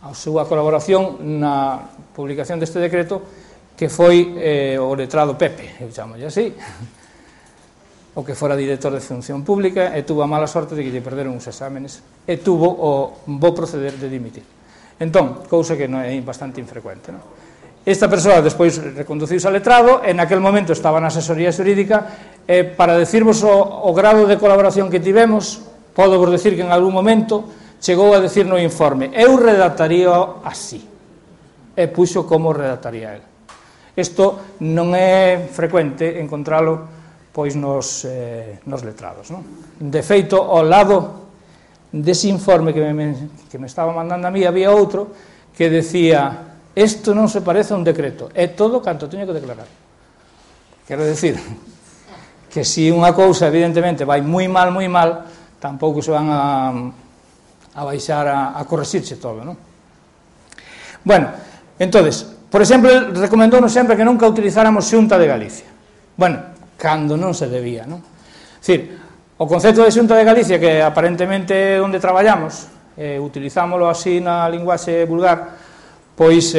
a súa colaboración na publicación deste decreto, que foi o letrado Pepe, eu chamolle así, o que fora director de Función Pública, e tuvo a mala sorte de que lle perderon uns exámenes, e tuvo o bo proceder de dimitir. Entón, cousa que non é bastante infrecuente, non? Esta persoa despois reconduciuse ao letrado, e naquel momento estaba na asesoría xurídica, e para decirvos o grado de colaboración que tivemos, podo vos decir que en algún momento chegou a decir no informe, eu redactaría así, e puxo como redactaría el. Isto non é frecuente encontralo pois nos letrados, non? De feito, ao lado dese informe que me estaba mandando a mí, había outro que decía, isto non se parece a un decreto, é todo canto teño que declarar. Quero decir, que se unha cousa evidentemente vai moi mal, tampouco se van a baixar a correxirse todo, non? Bueno, entonces, por exemplo, recomendounos sempre que nunca utilizáramos Xunta de Galicia. Bueno, cando non se debía, non? É dicir, o concepto de Xunta de Galicia, que aparentemente onde traballamos, utilizámoslo así na linguaxe vulgar, pois,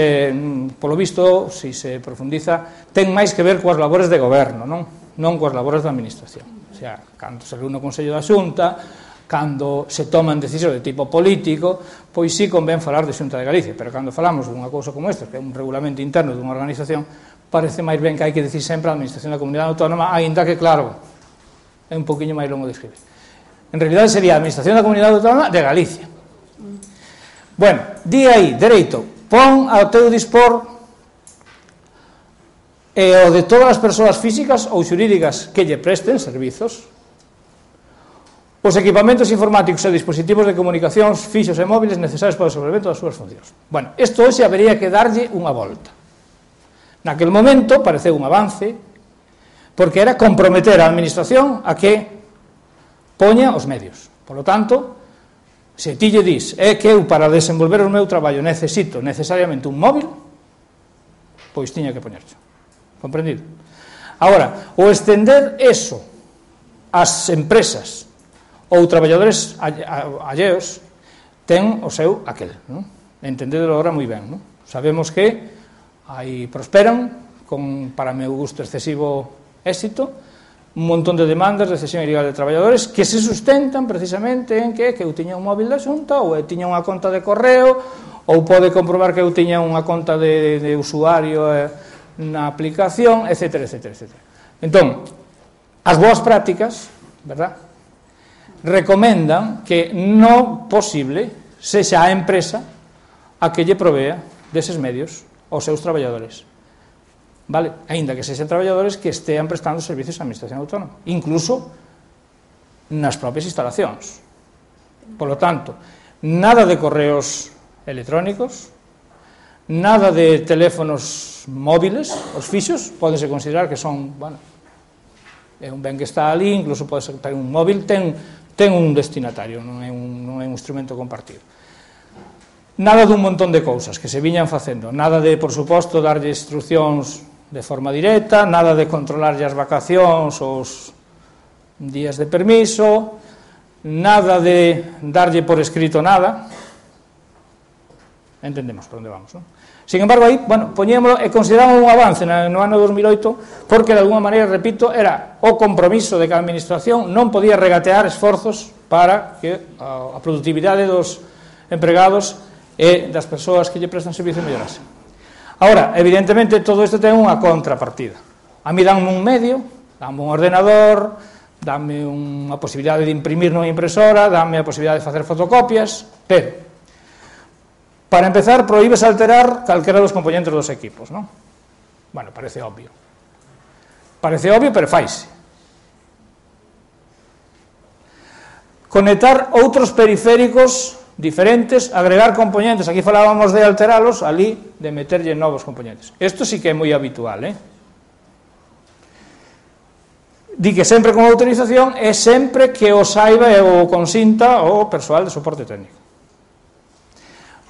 polo visto, se se profundiza, ten máis que ver coas labores de goberno, non coas labores da administración. O sea, cando se reúne o Consello da Xunta, cando se toman decisións de tipo político, pois sí convén falar de Xunta de Galicia, pero cando falamos dunha cousa como esta, que é un regulamento interno dunha organización, parece máis ben que hai que decir sempre a Administración da Comunidade Autónoma, aínda que, claro, é un poquinho máis longo de escribir. En realidade sería a Administración da Comunidade Autónoma de Galicia. Bueno, di aí, dereito, pon ao teu dispor o de todas as persoas físicas ou xurídicas que lle presten servizos, os equipamentos informáticos e dispositivos de comunicacións fixos e móviles necesarios para o desenvolvemento das súas funcións. Bueno, isto hoxe habería que darlle unha volta. Naquel momento pareceu un avance, porque era comprometer a administración a que poña os medios. Por lo tanto, se ti lle dis, é que eu para desenvolver o meu traballo necesito necesariamente un móvil, pois tiña que poñerse. Comprendido? Agora, o estender eso ás empresas ou traballadores alleos ten o seu aquel, non? Entendedelo agora moi ben, non? Sabemos que aí prosperan con, para meu gusto, excesivo éxito, un montón de demandas de cesión ilegal de traballadores que se sustentan precisamente en que eu tiña un móvil da Xunta ou eu tiña unha conta de correo ou pode comprobar que eu tiña unha conta de usuario na aplicación, etc. Entón, as boas prácticas, verdad, recomendan que no posible sexa a empresa a que lle provea deses medios aos seus traballadores, vale? Aínda que sexan traballadores que estean prestando servicios á administración autónoma, incluso nas propias instalacións. Por lo tanto, nada de correos electrónicos, nada de teléfonos móviles, os fixos, pódense considerar que son, bueno, é un ben que está ali, incluso pode ser un móvil, ten un destinatario, non é un instrumento compartido. Nada dun montón de cousas que se viñan facendo, nada de, por suposto, darlle instruccións de forma directa, nada de controlarlle as vacacións, os días de permiso, nada de darlle por escrito nada. Entendemos por onde vamos, non? Sin embargo, aí, bueno, poñémolo e consideramos un avance no ano 2008 porque, de alguma maneira, repito, era o compromiso de que a administración non podía regatear esforzos para que a productividade dos empregados e das persoas que lle prestan servicio mellorase. Ahora, evidentemente, todo isto ten unha contrapartida. A mí danme un medio, danme un ordenador, danme unha posibilidade de imprimir nunha impresora, danme a posibilidade de facer fotocopias, pero, para empezar, prohíbes alterar calquera dos componentes dos equipos, non? Bueno, parece obvio. Parece obvio, pero faise. Conectar outros periféricos diferentes, agregar componentes, aquí falábamos de alteralos, ali de meterlle novos componentes. Isto sí que é moi habitual, Di que sempre con autorización e sempre que o saiba e o consinta o persoal de soporte técnico.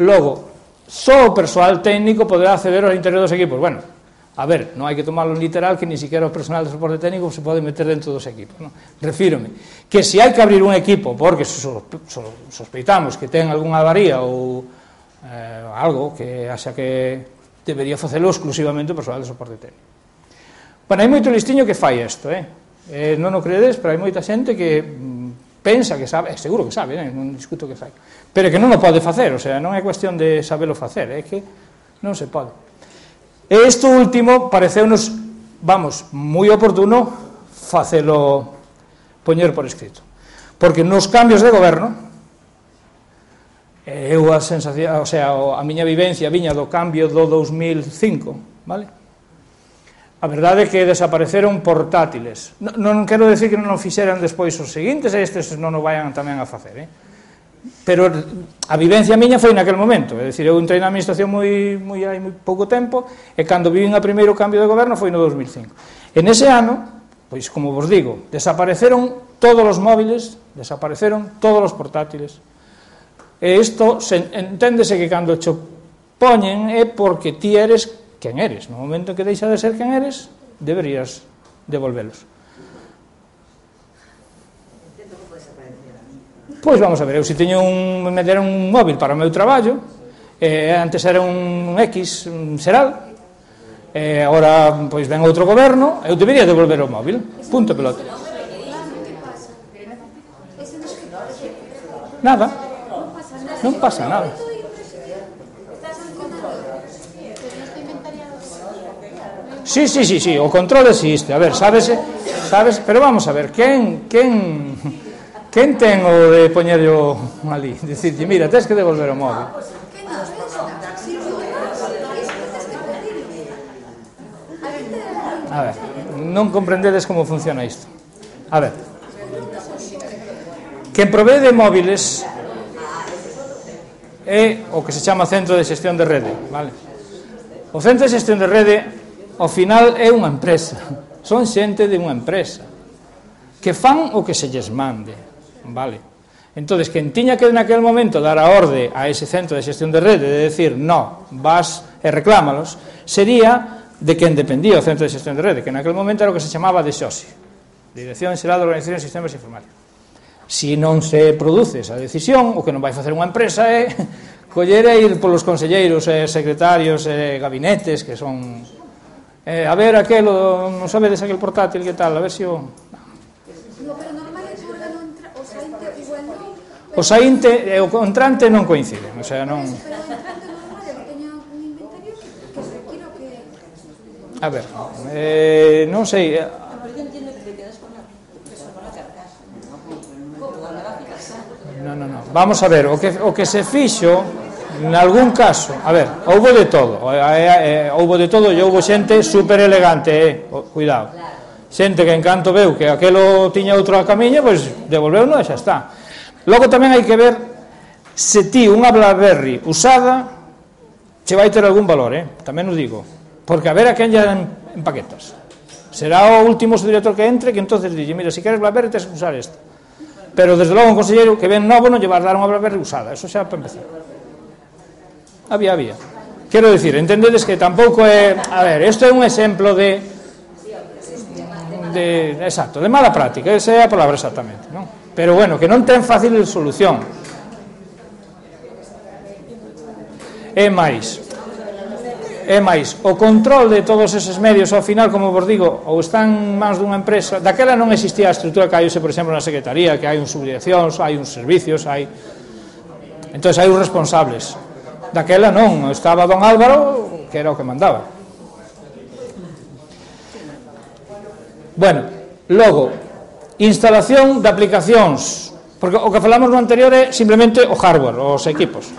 Logo, só o persoal técnico poderá acceder ao interior dos equipos. Bueno, a ver, non hai que tomarlo literal que ni siquiera o personal de soporte técnico se pode meter dentro dos equipos, non? Refírome que se hai que abrir un equipo porque sospeitamos que ten algunha avaría ou algo que axa que debería facelo exclusivamente o persoal de soporte técnico. Bueno, hai moito listiño que fai isto, non o credes, pero hai moita xente que pensa que sabe, seguro que sabe, non discuto que fai, pero que non o pode facer, o sea, non é cuestión de sabelo facer, é que non se pode. E isto último pareceunos, vamos, moi oportuno facelo poñer por escrito, porque nos cambios de goberno, eu a sensación, o sea, a miña vivencia viña do cambio do 2005, vale? A verdade é que desapareceron portátiles. Non quero decir que non o fixeran despois os seguintes, e estes non o vayan tamén a facer, pero a vivencia miña foi naquel momento, é dicir, eu entrei na administración hai moi pouco tempo, e cando vivín a primeiro cambio de goberno foi no 2005. En ese ano, pois como vos digo, desapareceron todos os móviles, desapareceron todos os portátiles, e isto enténdese que cando cho poñen é porque ti eres quen eres. No momento en que deixa de ser quen eres, deberías devolvelos. Pois vamos a ver, eu se teño me deron un móvil para o meu traballo, antes era un X, un Seral, agora pois ven outro goberno, eu debería devolver o móvil, punto pelota. Nada, non pasa nada. Sí, o control existe. A ver, sabes, pero vamos a ver, quen ten o de poñerlo ali, dicirlle, mira, tens que devolver o móvil. A ver, non comprendedes como funciona isto. A ver, quen provee de móviles é o que se chama Centro de Xestión de Rede, vale? O Centro de Xestión de Rede, ao final, é unha empresa, son xente de unha empresa que fan o que se lles mande, vale? Entonces, quen tiña que naquel momento dar a orde a ese Centro de Xestión de Rede de decir, no, vas e reclámalos, sería de quen dependía o Centro de Xestión de Rede, que naquel momento era o que se chamaba DXOSI, Dirección Xeral de Organización de Sistemas Informáticos. Se non se produce esa decisión, o que non vai facer unha empresa é coller e ir polos conselleiros e secretarios e gabinetes que son a ver aquelo, non sabedes aquel portátil que tal, a ver se o... No, pero normal é que o órgano entra, o saínte igual non. O saínte e o entrante non coinciden, o sea, non... Pero o entrante normal é que teña un inventario que se requira o que... A ver, non sei... Non. Vamos a ver, o que se fixo, en algún caso, a ver, houbo de todo, e houbo xente super elegante, cuidado, xente que en canto veu que aquelo tiña outro camiño, pois devolveu-no e xa está. Logo tamén hai que ver se ti unha BlackBerry usada che vai ter algún valor, tamén os digo, porque a ver a quen lle en paquetas. Será o último subdirector que entre que entonces dille, mira, se queres BlackBerry tens que usar esta. Pero desde logo un conselleiro que ven novo non lle vas dar unha BlackBerry usada, eso xa para empezar. Había. Quero dicir, entendedes que tampouco é... A ver, isto é un exemplo de exacto, de mala práctica, esa é a palabra exactamente, non? Pero bueno, que non ten fácil solución. É máis, o control de todos eses medios ao final, como vos digo, ou están en mans dunha empresa. Daquela non existía a estrutura que hai hoxe, por exemplo, na Secretaría, que hai uns subdireccións, hai uns servicios, entón hai uns responsables. Daquela non, estaba don Álvaro, que era o que mandaba. Bueno, logo, instalación de aplicacións, porque o que falamos no anterior é simplemente o hardware, os equipos.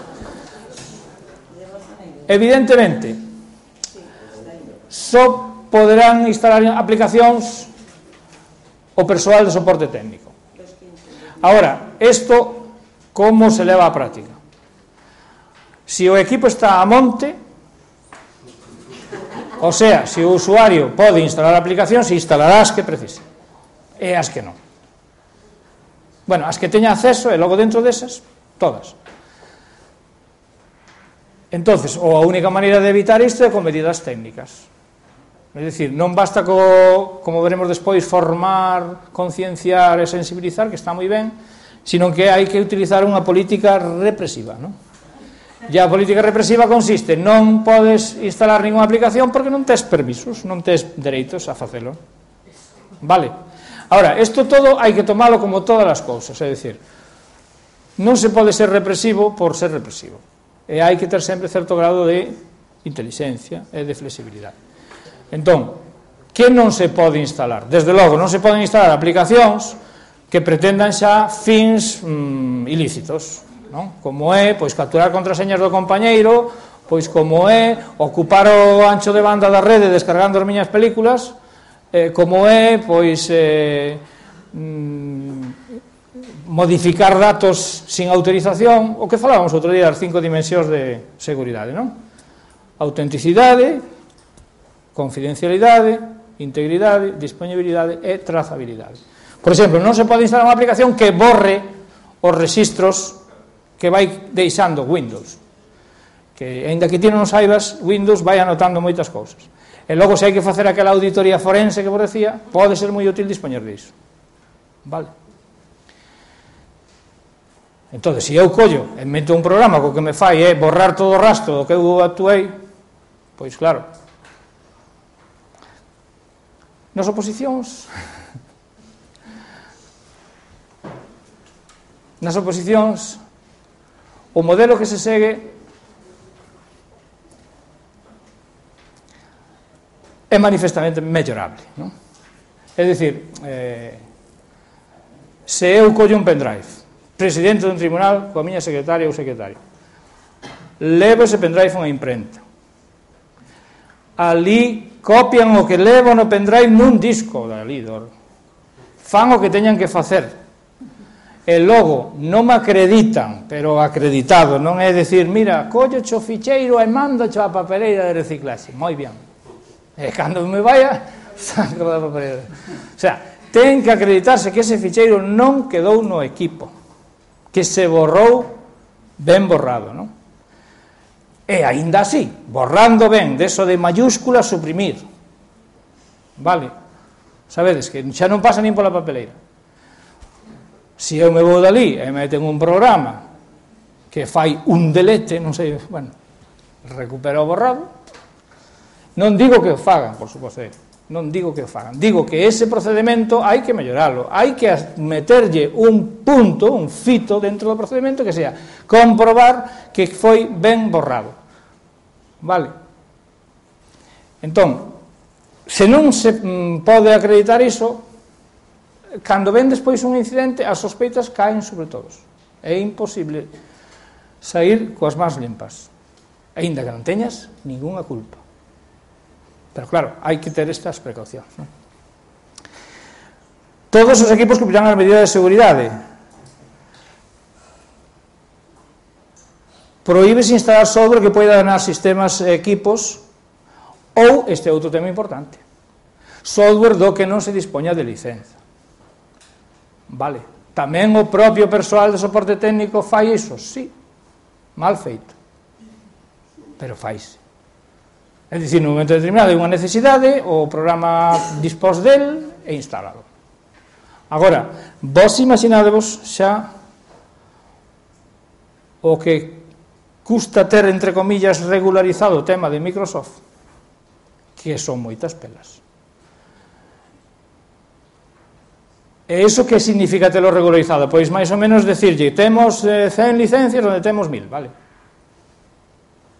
Evidentemente, só poderán instalar aplicacións o persoal de soporte técnico. Ahora, isto como se leva á práctica? Se o equipo está a monte, o sea, se o usuario pode instalar aplicacións, instalará as que precise, e as que non. Bueno, as que teña acceso, e logo dentro desas, todas. Entonces, ou a única maneira de evitar isto é con medidas técnicas. É dicir, non basta como veremos despois, formar, concienciar e sensibilizar, que está moi ben, sino que hai que utilizar unha política represiva, non? E a política represiva consiste, non podes instalar ninguna aplicación porque non tes permisos, non tes dereitos a facelo. Vale? Ahora, isto todo hai que tomalo como todas as cousas, é dicir, non se pode ser represivo por ser represivo. E hai que ter sempre certo grado de intelixencia e de flexibilidade. Entón, que non se pode instalar? Desde logo, non se poden instalar aplicacións que pretendan xa fins ilícitos, non? Como é, pois, capturar contraseñas do compañeiro, pois, como é, ocupar o ancho de banda da rede descargando as miñas películas, como é, pois, modificar datos sin autorización, o que falábamos outro día das 5 dimensións de seguridade, non? Autenticidade, confidencialidade, integridade, disponibilidade e trazabilidade. Por exemplo, non se pode instalar unha aplicación que borre os rexistros que vai deixando Windows, que, aínda que ti non saibas, Windows vai anotando moitas cousas. E logo, se hai que facer aquela auditoría forense que vos decía, pode ser moi útil dispoñer disso. Vale? Entón, se eu collo e meto un programa co que me fai é borrar todo o rastro do que eu actuei, pois claro, nas oposicións o modelo que se segue é manifestamente mellorable, non? É dicir, se eu collo un pendrive, presidente dun tribunal coa miña secretaria ou secretario, levo ese pendrive a unha imprenta, ali copian o que levo no pendrive nun disco dali, fan o que teñan que facer, e logo non me acreditan, pero acreditado, non é dicir, mira, collo o ficheiro e mando a papeleira de reciclaxe, moi ben, e cando me vaya saco da papeleira, o sea, ten que acreditarse que ese ficheiro non quedou no equipo, que se borrou ben borrado, non? E aínda así, borrando ben, deso de mayúscula, suprimir, vale? Sabedes que xa non pasa nin pola papeleira. Se eu me vou dali e meten un programa que fai un delete, non sei, bueno, recupera o borrado, non digo que o fagan, por suposto, non digo que o fagan, digo que ese procedimento hai que melloralo, hai que meterlle un punto, un fito dentro do procedimento que sea comprobar que foi ben borrado, vale? Entón, se non se pode acreditar iso, cando ven despois un incidente, as sospeitas caen sobre todos, é imposible sair coas mans limpas, aínda que non teñas ningunha culpa. Pero claro, hai que ter estas precaucións, non? Todos os equipos cumprirán as medidas de seguridade. Prohíbese instalar software que poida danar sistemas e equipos, ou, este é outro tema importante, software do que non se dispoña de licenza. Vale, tamén o propio persoal de soporte técnico fai iso, sí, mal feito, pero faise. É dicir, no momento determinado hai unha necesidade, o programa dispós del e instalado. Agora, vos imaginadevos xa o que custa ter, entre comillas, regularizado o tema de Microsoft, que son moitas pelas. E iso que significa telo regularizado? Pois máis ou menos decirlle, temos 100 licencias onde temos 1000, vale?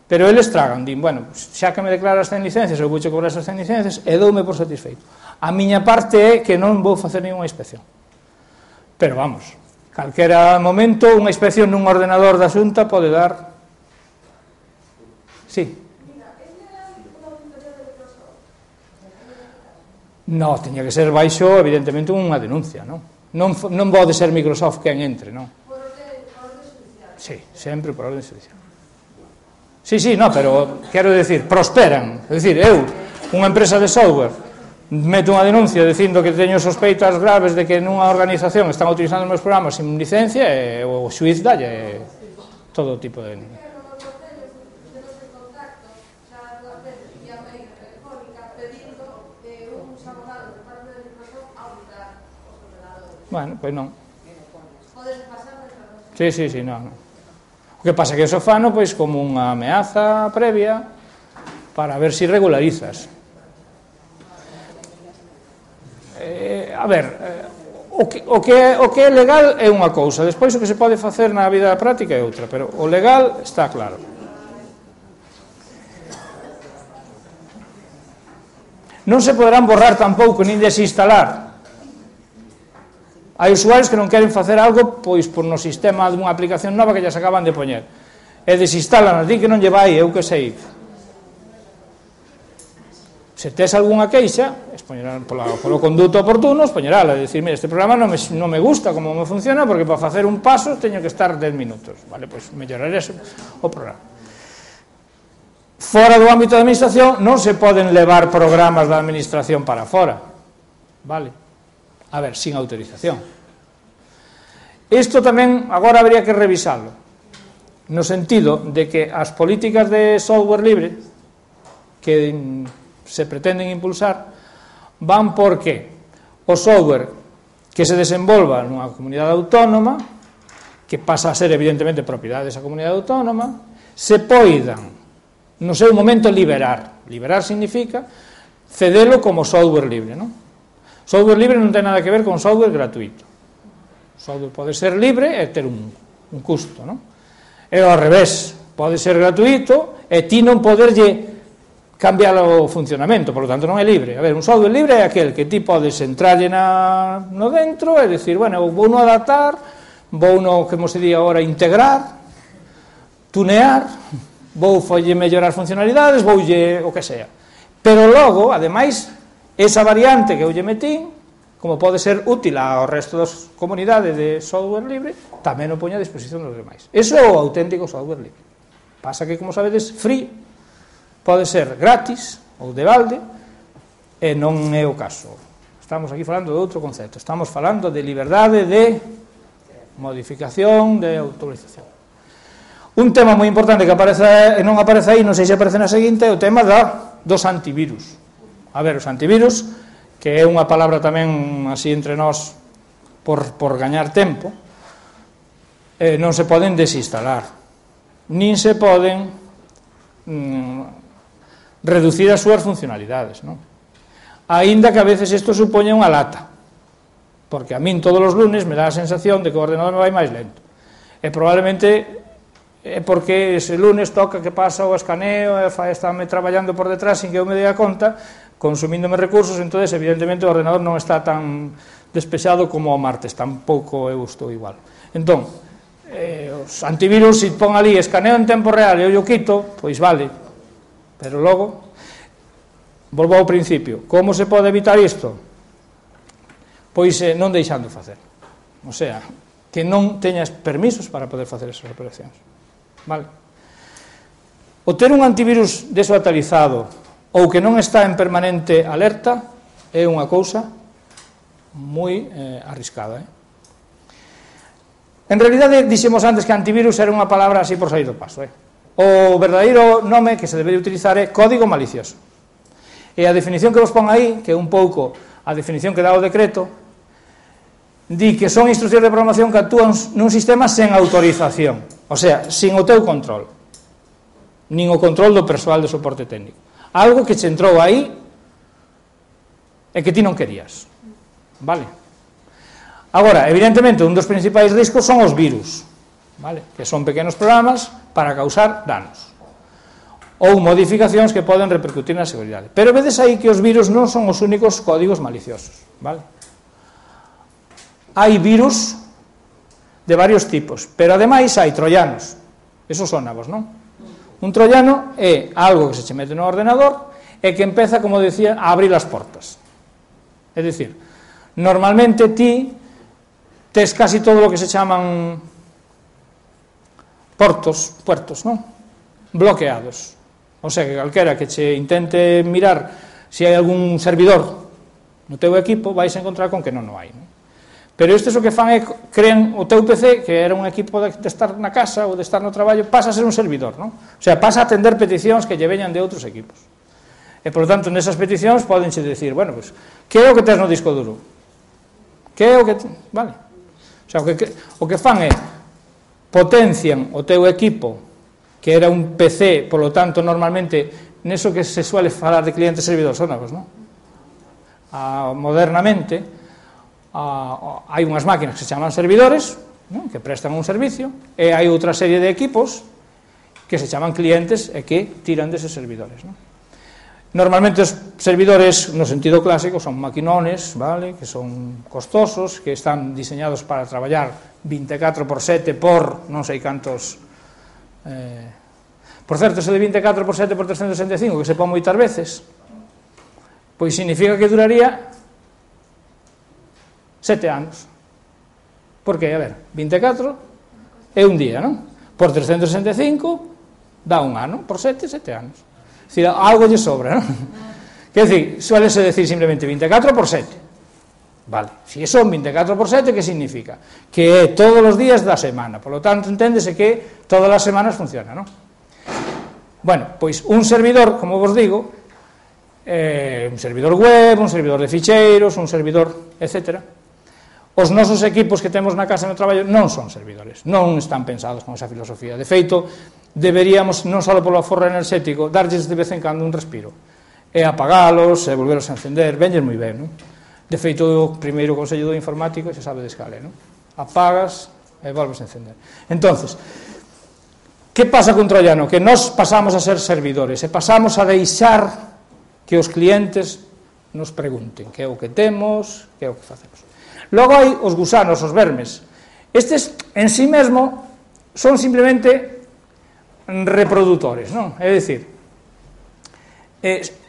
Pero eles tragan, din, bueno, xa que me declaras 100 licencias, eu vou che cobrar esas 100 licencias e doume por satisfeito. A miña parte é que non vou facer nenhuma inspección. Pero vamos, calquera momento unha inspección nun ordenador da Xunta pode dar... Sí. No, teña que ser baixo, evidentemente, unha denuncia, non? Non pode ser Microsoft quen entre, non? Por orden judicial? Sí, sempre por orden judicial. Sí, no, pero quero decir, prosperan. É dicir, eu, unha empresa de software, meto unha denuncia dicindo que teño sospeitas graves de que nunha organización están utilizando os meus programas sin licencia e o xuiz dalle todo tipo de... Bueno, pois non. Sí, non. O que pasa é que eso fano pois como unha ameaza previa para ver se regularizas. A ver, o que é legal é unha cousa, despois o que se pode facer na vida práctica é outra, pero o legal está claro. Non se poderán borrar tampouco nin desinstalar. Hai usuarios que non queren facer algo pois por no sistema dunha aplicación nova que lles acaban de poñer e desinstalan, di que non lle vai, eu que sei. Se tes algunha queixa, polo conduto oportuno, expoñerala, e dicir, mira, este programa non me gusta como me funciona, porque para facer un paso teño que estar 10 minutos, vale, pois melloraré o programa. Fora do ámbito da administración non se poden levar programas da administración para fora, vale? A ver, sin autorización. Isto tamén agora habría que revisarlo, no sentido de que as políticas de software libre que se pretenden impulsar van porque o software que se desenvolva nunha comunidade autónoma, que pasa a ser evidentemente propiedade desa comunidade autónoma, se poidan no seu momento liberar. Liberar significa cedelo como software libre, non? Software libre non ten nada que ver con software gratuito. Software pode ser libre e ter un custo, non? E ao revés, pode ser gratuito e ti non poderlle cambiar o funcionamento, por lo tanto non é libre. A ver, un software libre é aquel que ti podes entrarlle no dentro e dicir, bueno, vou no adaptar, vou no, como se di agora, integrar, tunear, vou folle mellorar funcionalidades, voulle o que sea. Pero logo, ademais, esa variante que eu lle metín, como pode ser útil ao resto das comunidades de software libre, tamén o poño a disposición dos demais. Eso é o auténtico software libre. Pasa que, como sabedes, free pode ser gratis ou de balde, e non é o caso. Estamos aquí falando de outro concepto. Estamos falando de liberdade de modificación, de autorización. Un tema moi importante que aparece, non aparece aí, non sei se aparece na seguinte, é o tema dos antivirus. A ver, os antivirus, que é unha palabra tamén así entre nós por gañar tempo, non se poden desinstalar, nin se poden reducir as súas funcionalidades, non? Aínda que a veces isto supoña unha lata, porque a min todos os lunes me dá a sensación de que o ordenador me vai máis lento, e probablemente é porque ese lunes toca que pasa o escaneo e estáme traballando por detrás sin que eu me dé a conta, consumíndome recursos, entonces evidentemente o ordenador non está tan despexado como o martes, tampouco eu estou igual. Entón, os antivirus, se pon ali escaneo en tempo real e eu o quito, pois vale, pero logo volvo ao principio. Como se pode evitar isto? Pois non deixando facer, o sea, que non teñas permisos para poder facer esas operacións, vale? O ter un antivirus desatualizado ou que non está en permanente alerta é unha cousa moi arriscada, En realidade, dixemos antes que antivirus era unha palabra así por sair do paso, O verdadeiro nome que se debe utilizar é código malicioso. E a definición que vos pon aí, que é un pouco a definición que dá o decreto, di que son instruccións de programación que actúan nun sistema sen autorización, o sea, sin o teu control, nin o control do persoal de soporte técnico. Algo que che entrou aí e que ti non querías, vale? Agora, evidentemente, un dos principais riscos son os virus, vale? Que son pequenos programas para causar danos ou modificacións que poden repercutir na seguridade. Pero vedes aí que os virus non son os únicos códigos maliciosos, vale? Hai virus de varios tipos, pero ademais hai troianos. Eso sonavos, non? Un troiano é algo que se che mete no ordenador e que empeza, como decía, a abrir as portas. É dicir, normalmente ti tes casi todo o que se chaman puertos, non? Bloqueados. O sea, que calquera que che intente mirar se hai algún servidor no teu equipo, vais a encontrar con que non o hai, non? Pero estes o que fan é crean o teu PC, que era un equipo de estar na casa ou de estar no traballo, pasa a ser un servidor, non? O sea, pasa a atender peticións que lle veñan de outros equipos. E, por lo tanto, nesas peticións podenche decir, bueno, pues, que é o que tes no disco duro? Que é o que... Vale. O sea, o que fan é potencian o teu equipo, que era un PC, por lo tanto, normalmente, neso que se suele falar de clientes-servidores, sonavos, non? Modernamente, hai unhas máquinas que se chaman servidores, non? Que prestan un servicio, e hai outra serie de equipos que se chaman clientes e que tiran deses servidores, non? Normalmente os servidores, no sentido clásico, son maquinones, vale? Que son costosos, que están diseñados para traballar 24/7 por non sei cantos... Por certo, ese de 24/7 por 365, que se pon moitas veces, pois significa que duraría 7 anos. Porque, a ver, 24 é un día, non? Por 365 dá un ano, por 7 anos. É dicir, algo lle sobra, non? Quer dicir, suélese decir simplemente 24/7. Vale, se son 24/7, que significa? Que é todos os días da semana, por lo tanto, enténdese que todas as semanas funciona, non? Bueno, pois un servidor, como vos digo, un servidor web, un servidor de ficheiros, un servidor, etcétera. Os nosos equipos que temos na casa e no traballo non son servidores, non están pensados con esa filosofía. De feito, deberíamos, non só polo aforro enerxético, darlles de vez en cando un respiro, e apagalos, e volveros a encender, venlles moi ben, non? De feito, o primeiro consello do informático se sabe de escala, non? Apagas e volves a encender. Entonces, que pasa con troiano? Que nós pasamos a ser servidores, e pasamos a deixar que os clientes nos pregunten que é o que temos, que é o que facemos. Logo hai os gusanos, os vermes. Estes, en sí mesmo, son simplemente reprodutores, non? É dicir,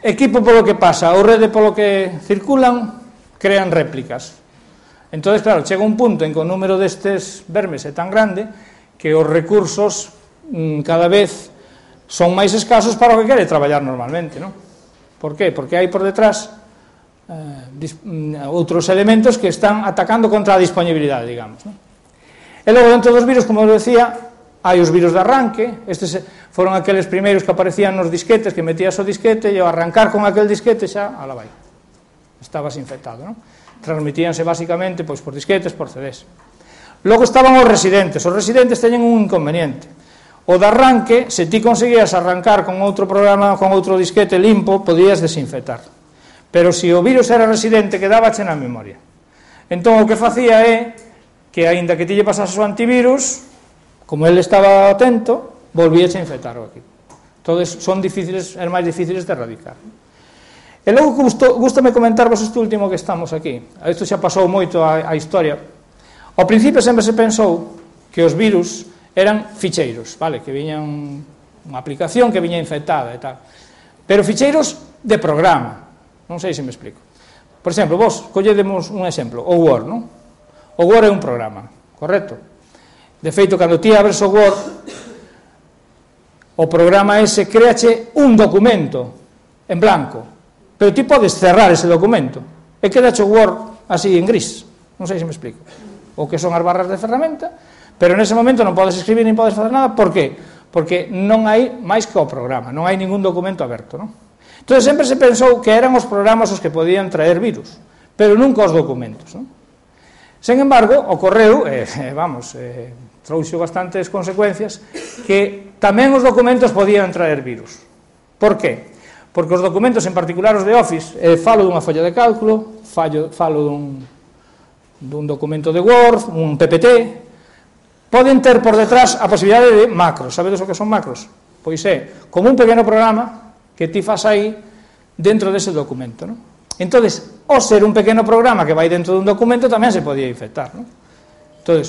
equipo polo que pasa ou rede polo que circulan, crean réplicas. Entón, claro, chega un punto en que o número destes vermes é tan grande que os recursos cada vez son máis escasos para o que quere traballar normalmente, non? Por qué? Porque hai por detrás outros elementos que están atacando contra a disponibilidade, digamos, non? E logo, dentro dos virus, como eu decía, hai os virus de arranque. Estes foron aqueles primeiros que aparecían nos disquetes, que metías o disquete e ao arrancar con aquel disquete xa, ala vai, estabas infectado, non? transmitíanse basicamente pois por disquetes, por CDs. Logo estaban os residentes teñen un inconveniente. O de arranque, se ti conseguías arrancar con outro programa, con outro disquete limpo, podías desinfectar. Pero se o virus era residente, quedábache na memoria. Entón, o que facía é que, aínda que ti lle pasase o antivirus, como ele estaba atento, volvíache a infectar o equipo. Entón, son máis difíciles de erradicar. E logo, gústame comentarvos este último que estamos aquí. Isto xa pasou moito a historia. Ao principio sempre se pensou que os virus eran ficheiros, vale? Que viñan unha aplicación que viña infectada e tal. Pero ficheiros de programa. Non sei se me explico. Por exemplo, vos colledemos un exemplo, o Word, non? O Word é un programa, correcto? De feito, cando ti abres o Word, o programa ese créache un documento en blanco, pero ti podes cerrar ese documento e quedache o Word así en gris. Non sei se me explico. O que son as barras de ferramenta, pero nese momento non podes escribir nin podes facer nada. Por que? Porque non hai máis que o programa, non hai ningún documento aberto, non? Entón, sempre se pensou que eran os programas os que podían traer virus, pero nunca os documentos, non? Sen embargo, ocorreu, trouxo bastantes consecuencias, que tamén os documentos podían traer virus. Por que? Porque os documentos, en particular os de Office, falo dunha folla de cálculo, falo dun documento de Word, un PPT, poden ter por detrás a posibilidade de macros. Sabedes o que son macros? Pois é como un pequeno programa que ti fas aí dentro dese documento, non? Entón, ao ser un pequeno programa que vai dentro dun documento, tamén se podía infectar, non? Entón,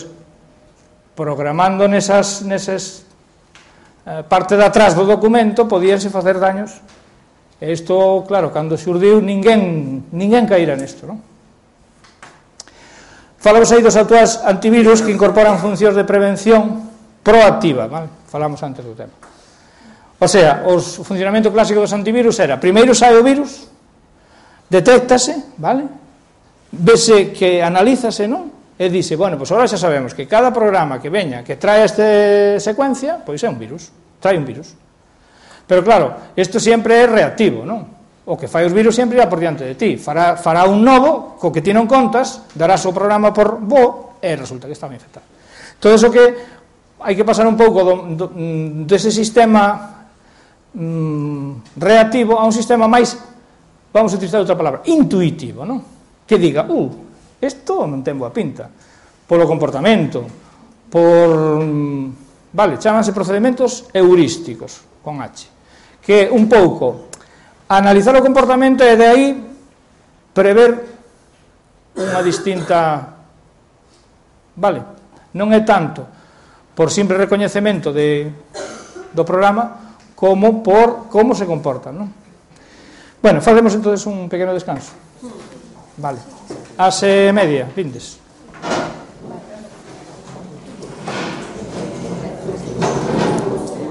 programando nesas parte de atrás do documento, podíanse facer daños. E isto, claro, cando xurdiu, ninguén caíra nesto, non? Falamos aí dos actuais antivirus que incorporan funcións de prevención proactiva, vale? Falamos antes do tema. O sea, o funcionamento clásico dos antivirus era, primeiro sai o virus, detéctase, vale? Vese que analízase, non? E dice, bueno, pois agora xa sabemos que cada programa que veña, que trae esta secuencia, pois é un virus, trae un virus. Pero claro, isto sempre é reactivo, non? O que fai os virus sempre irá por diante de ti. Fará un novo, co que ti non contas, darás o programa por bo, e resulta que estaba infectado. Todo iso que hai que pasar un pouco dese sistema reactivo a un sistema máis, vamos a utilizar outra palabra, intuitivo, non? Que diga, isto non ten boa pinta, polo comportamento, chámanse procedementos heurísticos, con H, que un pouco analizar o comportamento e de aí prever unha distinta, non é tanto por simple recoñecemento do programa, como por como se comportan, non? Bueno, facemos entonces un pequeno descanso. Vale. Ás media, vindes.